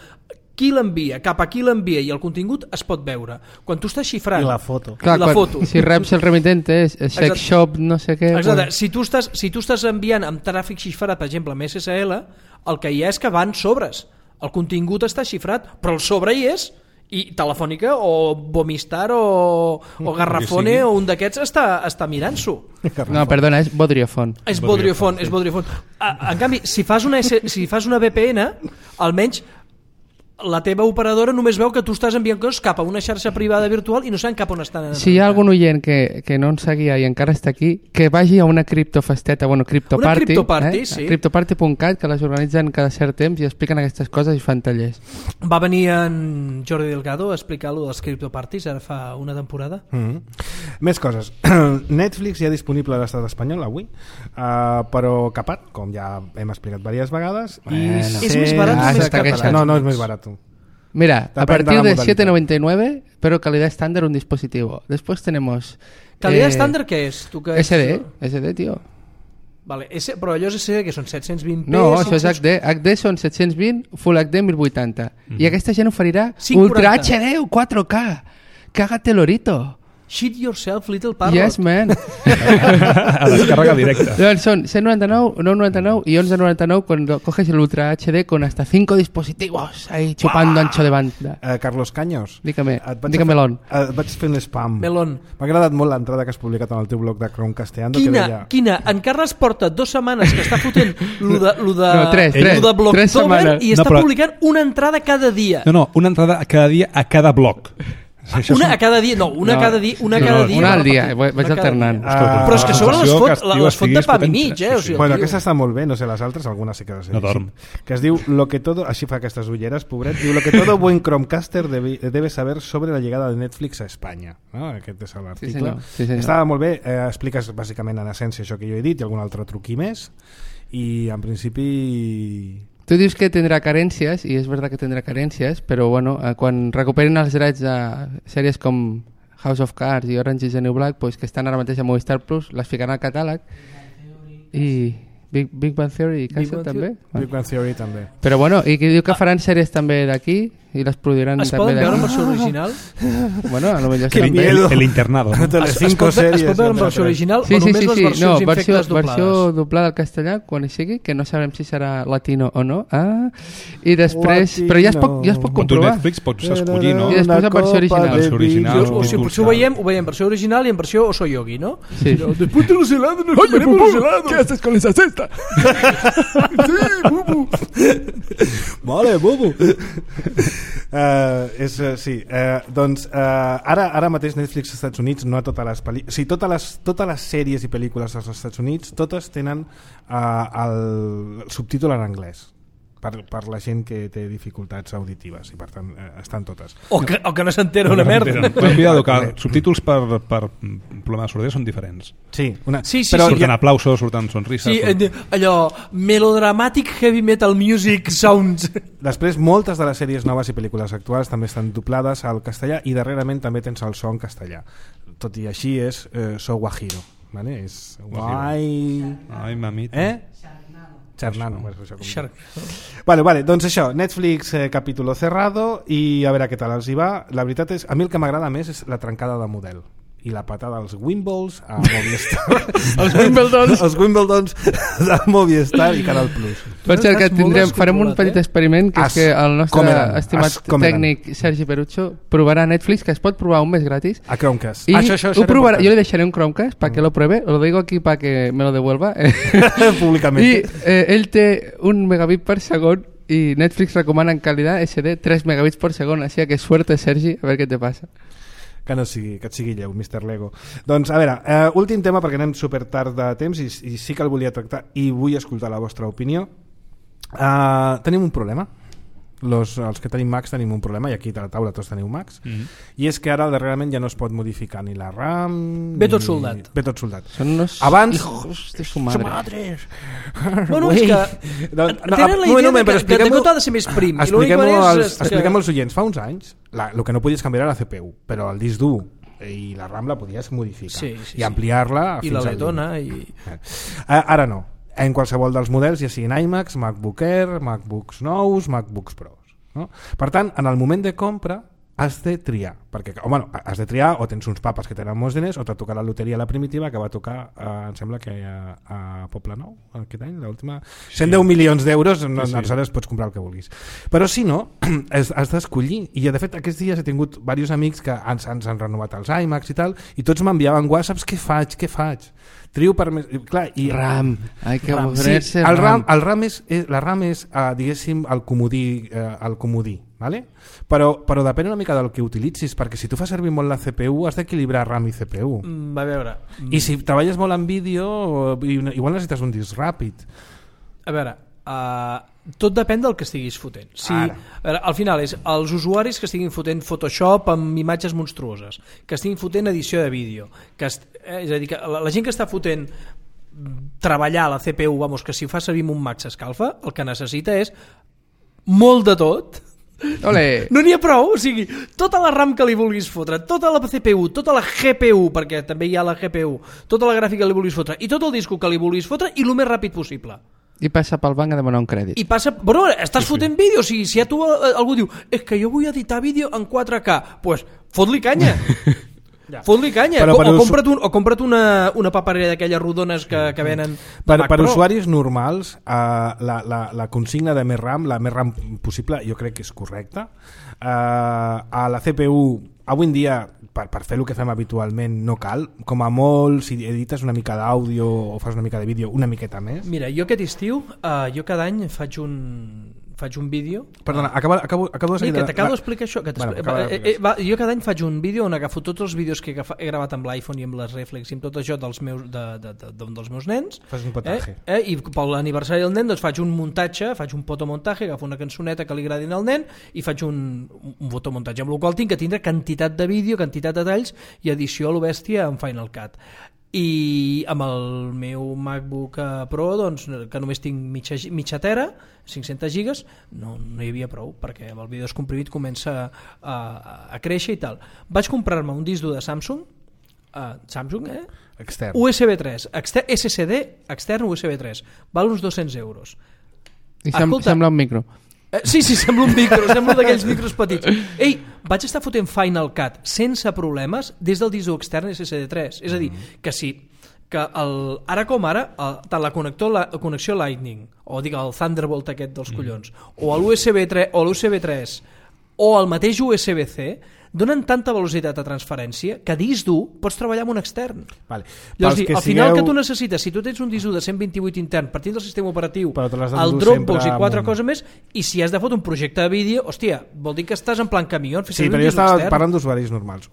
qui l'envia, cap a qui l'envia i el contingut es pot veure. Quan tu estàs xifrant... I la foto. Clar, I la quan, foto. Si reps el remitent és sex shop, no sé què... Exacte. Bueno. Si, tu estàs, si tu estàs enviant amb tràfic xifrat, per exemple, amb S S L, el que hi ha és que van sobres. El contingut està xifrat, però el sobre hi és, i Telefònica o Bomistar o, o Garrafone o un d'aquests està, està mirant-s'ho. No, perdona, és Vodriofone. És Vodriofone, és Vodriofone. En canvi, si fas una, S, si fas una V P N, almenys la teva operadora només veu que tu estàs enviant coses cap a una xarxa privada virtual i no saben cap on estan. Si hi ha algun oient que, que no ens seguia i encara està aquí, que vagi a una criptofesteta, bueno, criptoparty, una criptoparty, eh? Sí. criptoparty punt cat, que les organitzen cada cert temps i expliquen aquestes coses i fan tallers. Va venir en Jordi Delgado a explicar-lo dels criptoparties ara fa una temporada. Mm-hmm. Més coses. Netflix ja disponible a l'estat espanyol avui, uh, però capat, com ja hem explicat diverses vegades. Bueno. És més barat o més català? No, no és més barat. Mira, a partir de, de siete noventa y nueve, pero calidad estándar un dispositivo. Después tenemos... ¿Calidad eh, estándar qué es? ¿Tú qué S D, es? S D, tío. Vale, ese, però allò és S D que són set-cents vint p... No, això és H D. H D són set-cents vint, Full H D mil vuitanta. Mm. I aquesta gent oferirà Ultra H D o quatre K. Cágate lorito. Shit yourself, little parrot. Yes, man. A descàrrega directa. Llavors són cent noranta-nou, nou noranta-nou y once noranta-nou cuando coges el Ultra H D con hasta cinco dispositivos ahí chupando wow. ancho de banda. Uh, Carlos Caños. Dígame, dígame Melón. Et vaig fer un spam. Melón. M'ha agradat molt l'entrada que has publicat en el teu blog de Chromecastando. Quina, que deia... quina? En Carles porta dues setmanes que està fotent lo de, lo de, no, tres, lo tres, de Blocktober i està no, però... publicant una entrada cada dia. No, no, una entrada cada dia a cada blog. Això una a cada dia, no, una no, cada dia, una no, cada no, dia. Una al dia, vaig alternant. Uh, però és que sobre les fot, les fot de pa i mig, eh? O sigui, bueno, aquesta està molt bé, no sé les altres, algunes sí que les he no dorm. Que es diu, lo que todo, així fa aquestes ulleres, pobret, diu, lo que todo buen Chromecaster debe, debe saber sobre la llegada de Netflix a Espanya. No? Aquest és l'article. Sí, senyor. Sí, senyor. Estava molt bé, eh, expliques bàsicament en essència això que jo he dit i algun altre truqui més, i en principi... Tu dius que tindrà carències, i és veritat que tindrà carències, però bueno, quan recuperen els drets a sèries com House of Cards i Orange is the New Black, pues, que estan ara mateix a Movistar Plus, les ficaran al catàleg i Big, Big Bang Theory i Castle també. Big Bang Theory també. Però bueno, i que diu que faran sèries també d'aquí i les produiran es també d'aquí. Es poden veure en versió original? Bueno, a lo millor sí. El, el internado. Es, es, pot, es pot veure en versió original sí, o només sí, sí, les sí. versions no, infectes versió, doblades? Versió doblada al castellà, quan hi sigui, que no sabrem si serà latino o no. Ah, i després... Latino. Però ja es pot, ja es pot comprovar. Netflix pots escollir, no? I després en versió original. Versió original. O sigui, potser ho veiem, ho veiem en versió original i en versió Oso Yogi, ¿no? Sí. Después de los helados nos comeremos los helados. ¿Qué haces con esa cesta? Sí, bubu. Vale, bubu. Uh, és, uh, sí, uh, doncs uh, ara, ara mateix Netflix als Estats Units no a totes les pel·lícules, o sigui, totes les, totes les sèries i pel·lícules als Estats Units totes tenen uh, el, el subtítol en anglès per, per la gent que té dificultats auditives i per tant uh, estan totes o que, o que no s'entera una merda. Cuidado, que subtítols per, per problema de sordesa són diferents. Sí, una... sí, sí, però sí. Surten aplausos, surten sonrises. Sí, surten... allò melodramatic heavy metal music sounds. Després moltes de les sèries noves i pel·lícules actuals també estan doblades al castellà i darrerament també tens el so en castellà. Tot i així és eh, so guajiro, ¿vale? És guai... Ai, mamita. Eh? Charnano. Vale, vale, doncs això, Netflix eh, capítulo cerrado i a veure què tal els hi va. La veritat és, a mi el que m'agrada més és la trencada de model i la patada als Wimbles a Movistar. els Wimbledons els Wimbledons de Movistar i Canal Plus. Per cert, que tindrem, farem un petit experiment que as, és que el nostre eren, estimat tècnic Sergi Perucho provarà Netflix, que es pot provar un mes gratis a Chromecast. I això, això, ho provarà, jo le deixaré un Chromecast para que lo pruebe, lo digo aquí para que me lo devuelva públicamente. I eh, ell té un megabit per segon i Netflix recomana en calidad S D tres megabits per segon, així que suerte Sergi, a ver qué te pasa. que no sigui, que et sigui lleu, mister Lego. Doncs, a veure, eh, últim tema, perquè anem super tard de temps i, i sí que el volia tractar i vull escoltar la vostra opinió. Eh, tenim un problema. Los, els que tenim Macs tenim un problema, i aquí a la taula tots teniu Macs, mm -hmm. i és que ara darrerament ja no es pot modificar ni la RAM... Ve tot soldat. Ve tot soldat. Són unos Abans... hijos de su madre. Madres. Bueno, és que no, no, tenen la idea moment, que, que, que tot ha de ser més prim. Expliquem-ho als, que... expliquem als oients. Fa uns anys, la, el que no podies canviar era la C P U, però el disc dur i la RAM la podies modificar sí, sí, i ampliar-la i fins la al letona i... Ara no. En qualsevol dels models, ja siguin iMacs, MacBook Air, MacBooks nous, MacBooks Pros. No? Per tant, en el moment de compra has de triar, perquè, o, bueno, has de triar o tens uns papes que tenen molts diners o t'ha tocat la loteria la primitiva que va tocar, eh, em sembla que a, a Poble Nou aquest any, l'última, cent deu milions d'euros, no, sí, sí. Aleshores pots comprar el que vulguis, però si no has, has d'escollir, i de fet aquests dies he tingut diversos amics que ens, ens han renovat els iMacs i tal, i tots m'enviaven whatsapps, què faig, què faig trio per més... Clar, i... RAM, hay que RAM. Sí, el RAM, el RAM és, és, la RAM és, uh, diguéssim, el comodí, uh, el comodí, ¿vale? Però, però depèn una mica del que utilitzis, perquè si tu fas servir molt la C P U has d'equilibrar RAM i C P U. Mm, a veure... Mm. I si treballes molt en vídeo, igual necessites un disc ràpid. A veure... Uh, tot depèn del que estiguis fotent. Si, a veure, al final és els usuaris que estiguin fotent Photoshop amb imatges monstruoses, que estiguin fotent edició de vídeo, que est, eh, és a dir, que la, la gent que està fotent treballar la C P U, vamos, que si fa servir un Mac s'escalfa, el que necessita és molt de tot. Olé. No n'hi ha prou, o sigui, tota la RAM que li vulguis fotre, tota la C P U, tota la G P U, perquè també hi ha la G P U, tota la gràfica que li vulguis fotre i tot el disco que li vulguis fotre i el més ràpid possible. I passa pel banc a demanar un crèdit. I passa... Bueno, estàs sí, fotent sí. vídeo, o sigui, si a tu algú diu és que jo vull editar vídeo en quatre K, doncs pues, fot-li canya. Ja. Fot-li canya. Però, o, o compra't, un, o compra't una, una paperera d'aquelles rodones que, que venen per, per usuaris normals, uh, la, la, la consigna de més RAM, la més RAM possible, jo crec que és correcta. Uh, a la C P U, avui en dia, per, per fer el que fem habitualment, no cal. Com a molt, si edites una mica d'àudio o fas una mica de vídeo, una miqueta més. Mira, jo aquest estiu, uh, jo cada any faig un... faig un vídeo... Perdona, acabo, acabo, acabo de seguir... Que t'acabo d'explicar això. Que bueno, va, eh, eh, va, jo cada any faig un vídeo on agafo tots els vídeos que he, agafat, he gravat amb l'iPhone i amb les reflex i amb tot això dels meus, de, de, de, de, dels meus nens. Fas un potaje. Eh, eh, I per l'aniversari del nen doncs faig un muntatge, faig un fotomuntatge, agafo una cançoneta que li agradin al nen i faig un, un fotomuntatge, amb el qual tinc que tindre quantitat de vídeo, quantitat de talls i edició a lo bèstia en Final Cut. I amb el meu MacBook Pro, doncs, que només tinc mitja, mitja tera, cinc-centes gigas, no, no hi havia prou, perquè el vídeo descomprimit comença a, a, a créixer i tal. Vaig comprar-me un disc dur de Samsung, uh, Samsung, eh? Extern. U S B tres, extern, S S D extern U S B tres, val uns dos-cents euros. I sem Escolta, sembla un micro. Eh, sí, sí, sembla un micro, sembla d'aquells micros petits. Ei, vaig estar fotent Final Cut sense problemes des del disc extern S S D tres. És a dir, que sí, que el, ara com ara, el, tant la, connector, la connexió Lightning, o dic el Thunderbolt aquest dels collons, o l'U S B tres, o l'U S B tres, o el mateix U S B C, donen tanta velocitat de transferència que disc dur pots treballar amb un extern. Vale. Llavors, dir, al final sigueu... que tu necessites, si tu tens un disc dur de cent vint-i-vuit intern partint del sistema operatiu, el Dropbox i quatre coses més, i si has de fotre un projecte de vídeo, hòstia, vol dir que estàs en plan camió. Sí, però jo estava extern. Parlant d'usuaris normals.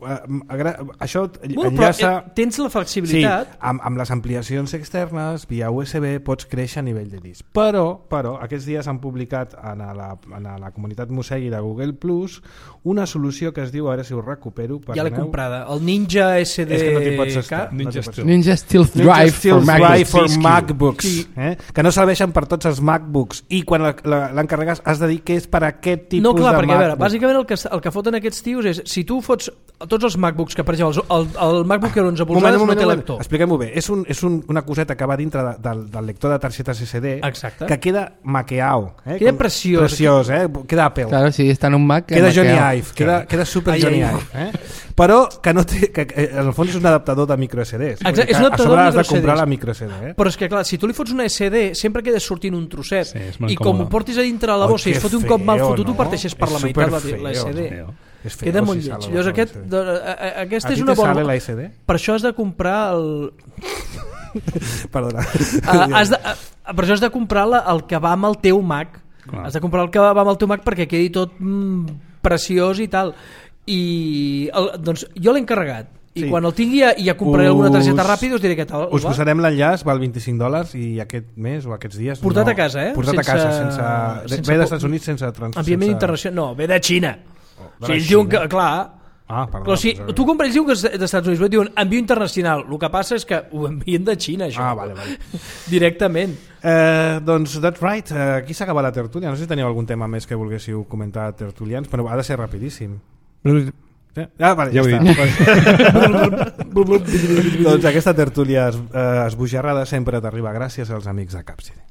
Això bueno, enllaça... Però, tens la flexibilitat. Sí, amb, amb les ampliacions externes, via U S B, pots créixer a nivell de disc. Però, però aquests dies han publicat en la, en la comunitat Mosegui de Google Plus una solució que es diu, a veure si ho recupero. Ja l'he comprada, el Ninja S D K. És que no t'hi pots estar. Ninja, no Steel. Ninja Steel Drive Steel for Drive for MacBooks, MacBooks sí. eh? Que no serveixen per tots els MacBooks i quan l'encarregues has de dir que és per aquest tipus no, clar, de perquè, MacBook. A veure, bàsicament el que, el que foten aquests tios és, si tu fots tots els MacBooks, que per exemple el, el MacBook Air onze polzades no té lector. Expliquem-ho bé, és, un, és un, una coseta que va dintre de, del, del lector de targetes S D. Exacte. Que queda maqueau. Eh? Queda preciós. Preciós, eh? Queda Apple. Claro, si està en un Mac... Queda Johnny Ive, queda, queda super ai, Johnny Ive. Eh? Però que no té, que, que, en el fons és un adaptador de micro S Ds. Exacte, és un a sobre has de comprar C Ds. la micro S D. Eh? Però és que clar, si tu li fots una S D sempre queda sortint un trosset sí, i com ho portis a dintre la bossa i es fot un cop mal fotut, no? tu parteixes per la meitat la, la S D. Feo, queda molt lleig. Llavors aquest, aquesta és una bona... la S D? Per això has de comprar el... Perdona. Uh, has de, uh, per això has de comprar la, el que va amb el teu Mac. Clar. Has de comprar el que va amb el teu Mac perquè quedi tot mm, preciós i tal. i el, doncs jo l'he encarregat i Sí. quan el tingui ja, ja compraré alguna targeta Us- ràpida i us diré què tal Us va. posarem l'enllaç, val vint-i-cinc dòlars i aquest mes o aquests dies... Portat no, a casa, eh? Portat Sense- a casa, sense... sense ve po- dels Estats Units sense... Trans, enviament sense... internacional, no, ve de Xina de o la sigui, ells diuen que, Xina. clar Ah, perdó. però si Pues, tu compres, ells diuen que és dels Estats Units però diuen envio internacional, el que passa és que ho envien de Xina això Ah, vale, vale. directament. Eh, doncs, that's right. Eh, aquí s'acaba la tertúlia. No sé si teniu algun tema més que volguéssiu comentar, tertulians, però ha de ser rapidíssim. Ah, vale, ja, Ja ho ja he està. Doncs aquesta tertúlia es, eh, esbojarrada sempre t'arriba gràcies als amics de Capside.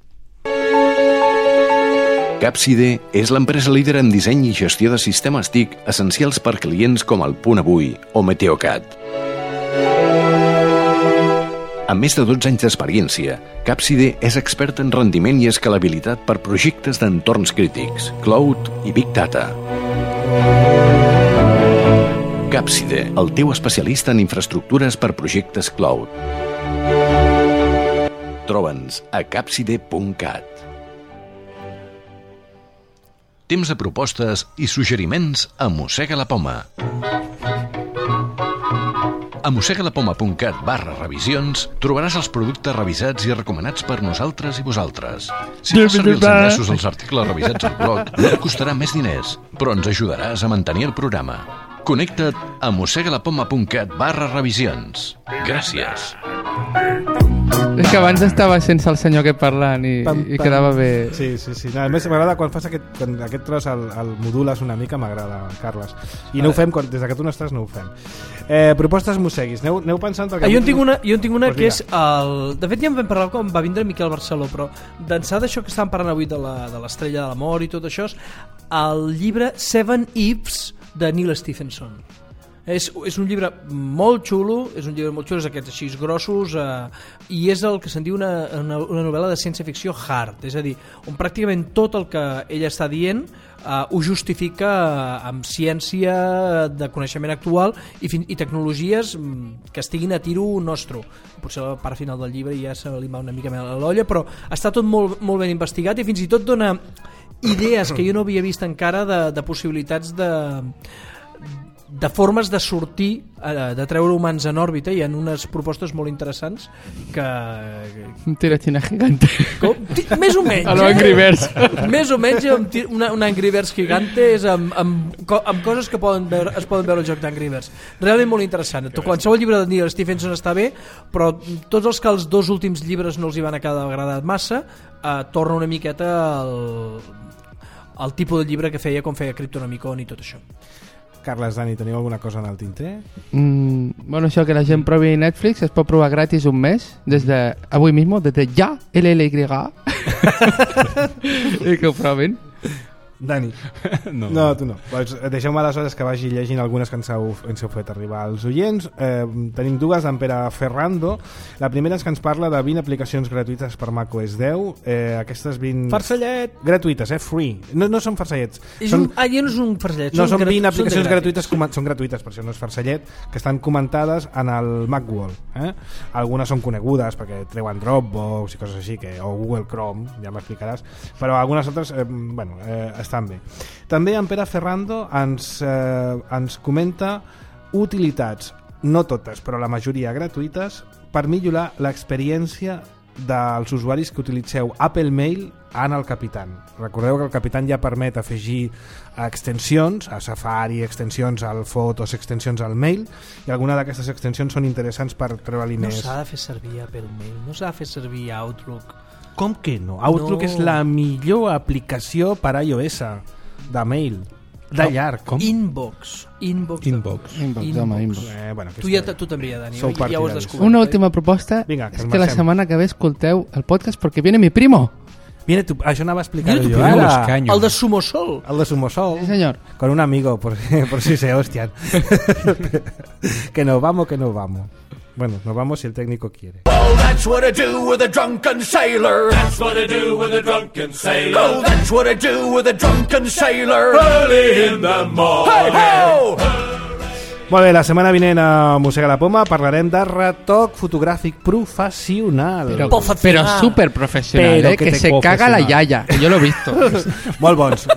Capside és l'empresa líder en disseny i gestió de sistemes T I C essencials per clients com el Punt Avui o Meteocat. Amb més de dotze anys d'experiència, Capside és expert en rendiment i escalabilitat per projectes d'entorns crítics, cloud i big data. Capside, el teu especialista en infraestructures per projectes cloud. Troba'ns a capside punt cat. Temps de propostes i suggeriments a Mossega la Poma. A mossegalapoma punt cat barra revisions trobaràs els productes revisats i recomanats per nosaltres i vosaltres. Si fas servir els enllaços dels articles revisats al blog, no et costarà més diners, però ens ajudaràs a mantenir el programa. Connecta't a mossegalapoma punt cat barra revisions. Gràcies. És que abans estava sense el senyor aquest parlant i, Pam, i pam. quedava bé. Sí, sí, sí. No, a més, m'agrada quan fas aquest, quan aquest tros el, el modules una mica, m'agrada, Carles. I no ho fem, quan, des que tu no estàs, no ho fem. Eh, propostes mosseguis. Aneu, aneu pensant... Ah, jo en tinc una, jo en tinc una Pues que mira. és el... De fet ja en vam parlar quan va vindre Miquel Barceló, però d'ençà d'això que estàvem parlant avui de la- de l'estrella de l'amor i tot això, és el llibre Seven Ifs de Neil Stephenson. És, és un llibre molt xulo, és un llibre molt xulo, és aquests així grossos, eh, i és el que se'n diu una, una, una novel·la de ciència-ficció hard, és a dir, on pràcticament tot el que ella està dient eh, ho justifica amb ciència de coneixement actual i, fin i tecnologies mm, que estiguin a tiro nostre. Potser a la part final del llibre ja se li va una mica més a l'olla, però està tot molt, molt ben investigat i fins i tot dona idees que jo no havia vist encara de, de possibilitats de de formes de sortir, de treure humans en òrbita. Hi ha unes propostes molt interessants que... Un tiratina gigante. Com? Més o menys, A lo Angry Birds. Més o menys una, una Angry Birds gigante és amb, amb, amb coses que poden veure, es poden veure al joc d'Angry Birds. Realment molt interessant. Qualsevol llibre de Neil Stephenson està bé, però tots els que els dos últims llibres no els hi van acabar agradat massa, eh, torna una miqueta al, al tipus de llibre que feia com feia Cryptonomicon i tot això. Carles, Dani, teniu alguna cosa en el tinter? Mm, bueno, això que la gent provi Netflix es pot provar gratis un mes des de avui mismo, des de ja, L L Y i que ho provin. Dani. No. No, tu no. Pues deixeu-me aleshores que vagi llegint algunes que ens heu, ens heu fet arribar als oients. Eh, tenim dues d'en Pere Ferrando. La primera és que ens parla de vint aplicacions gratuïtes per macOS deu. Eh, aquestes vint... Farcellet! Gratuïtes, eh? Free. No, no són farcellets. És Són... un, ah, ja no és un farcellet. No, són vint són aplicacions de gratuïtes, com, són gratuïtes, per això no és farcellet, que estan comentades en el Macworld. Eh? Algunes són conegudes perquè treuen Dropbox i coses així, que, o Google Chrome, ja m'explicaràs, però algunes altres, eh, bueno, eh, estan bé. També en Pere Ferrando ens, eh, ens comenta utilitats, no totes, però la majoria gratuïtes, per millorar l'experiència dels usuaris que utilitzeu Apple Mail en el Capitan. Recordeu que el Capitan ja permet afegir extensions a Safari, extensions al Fotos, extensions al Mail, i alguna d'aquestes extensions són interessants per treure-li No més. s'ha de fer servir Apple Mail, no s'ha de fer servir Outlook. Com que no? Outlook No. és la millor aplicació per iOS de mail, de llarg. Com? Inbox. Inbox. Inbox. Inbox, home, inbox. Eh, bueno, Tu, ja, tu també ja, Dani, Sou ja ho has partidaris. descobert. Una eh? última proposta. Vinga, que és ens que la marxem. setmana que ve escolteu el podcast porque viene mi primo. Viene tu, això anava a explicar Viene tu jo primo, ara. los caños. El de Sumosol. El de Sumosol. Sí, señor. Con un amigo, por, por si se hostian. Que nos vamos, que nos vamos. Bueno, nos vamos si el técnico quiere. Oh, that's what I do with a drunken sailor. That's what I do with a drunken sailor. Oh, that's what I do with a drunken sailor. Early in the morning. Hey, ho! Molt bé, la setmana vinent a Mossega la Poma parlarem de retoc fotogràfic professional. Pero, Profesional. pero súper profesional, Pero ¿eh? que que te se caga la profesional. yaya, que yo lo he visto. Molt bons.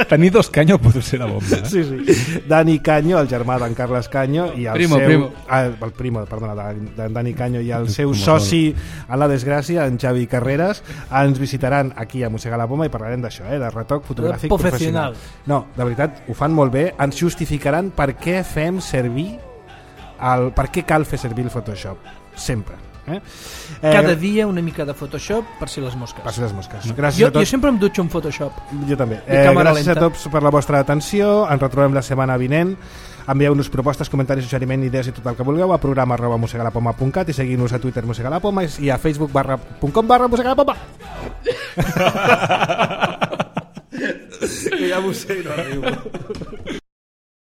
Tenir dos Canyo pot ser la bomba. Eh? Sí, sí. Dani Canyo, el germà d'en Carles Canyo, i el Primo, seu... primo. Ah, el primo, perdona, d'en Dani Canyo, i el seu soci a la desgràcia, en Xavi Carreras, ens visitaran aquí a Mossega la Poma i parlarem d'això, eh, de retoc fotogràfic professional. No, de veritat, ho fan molt bé. Ens justificaran per què fem servir el... per què cal fer servir el Photoshop. Sempre. Eh? Cada eh, dia una mica de Photoshop per si les mosques. Per si les mosques. Gràcies jo, a tots. jo sempre em dutxo en Photoshop. Jo també. Eh, gràcies lenta. a tots per la vostra atenció. Ens retrobem la setmana vinent. Envieu-nos propostes, comentaris, suggeriment, idees i tot el que vulgueu a programa arroba mossegalapoma punt cat i seguim-nos a Twitter mossegalapoma i a facebook barra punt com barra mossegalapoma. Que ja mossego no arribo.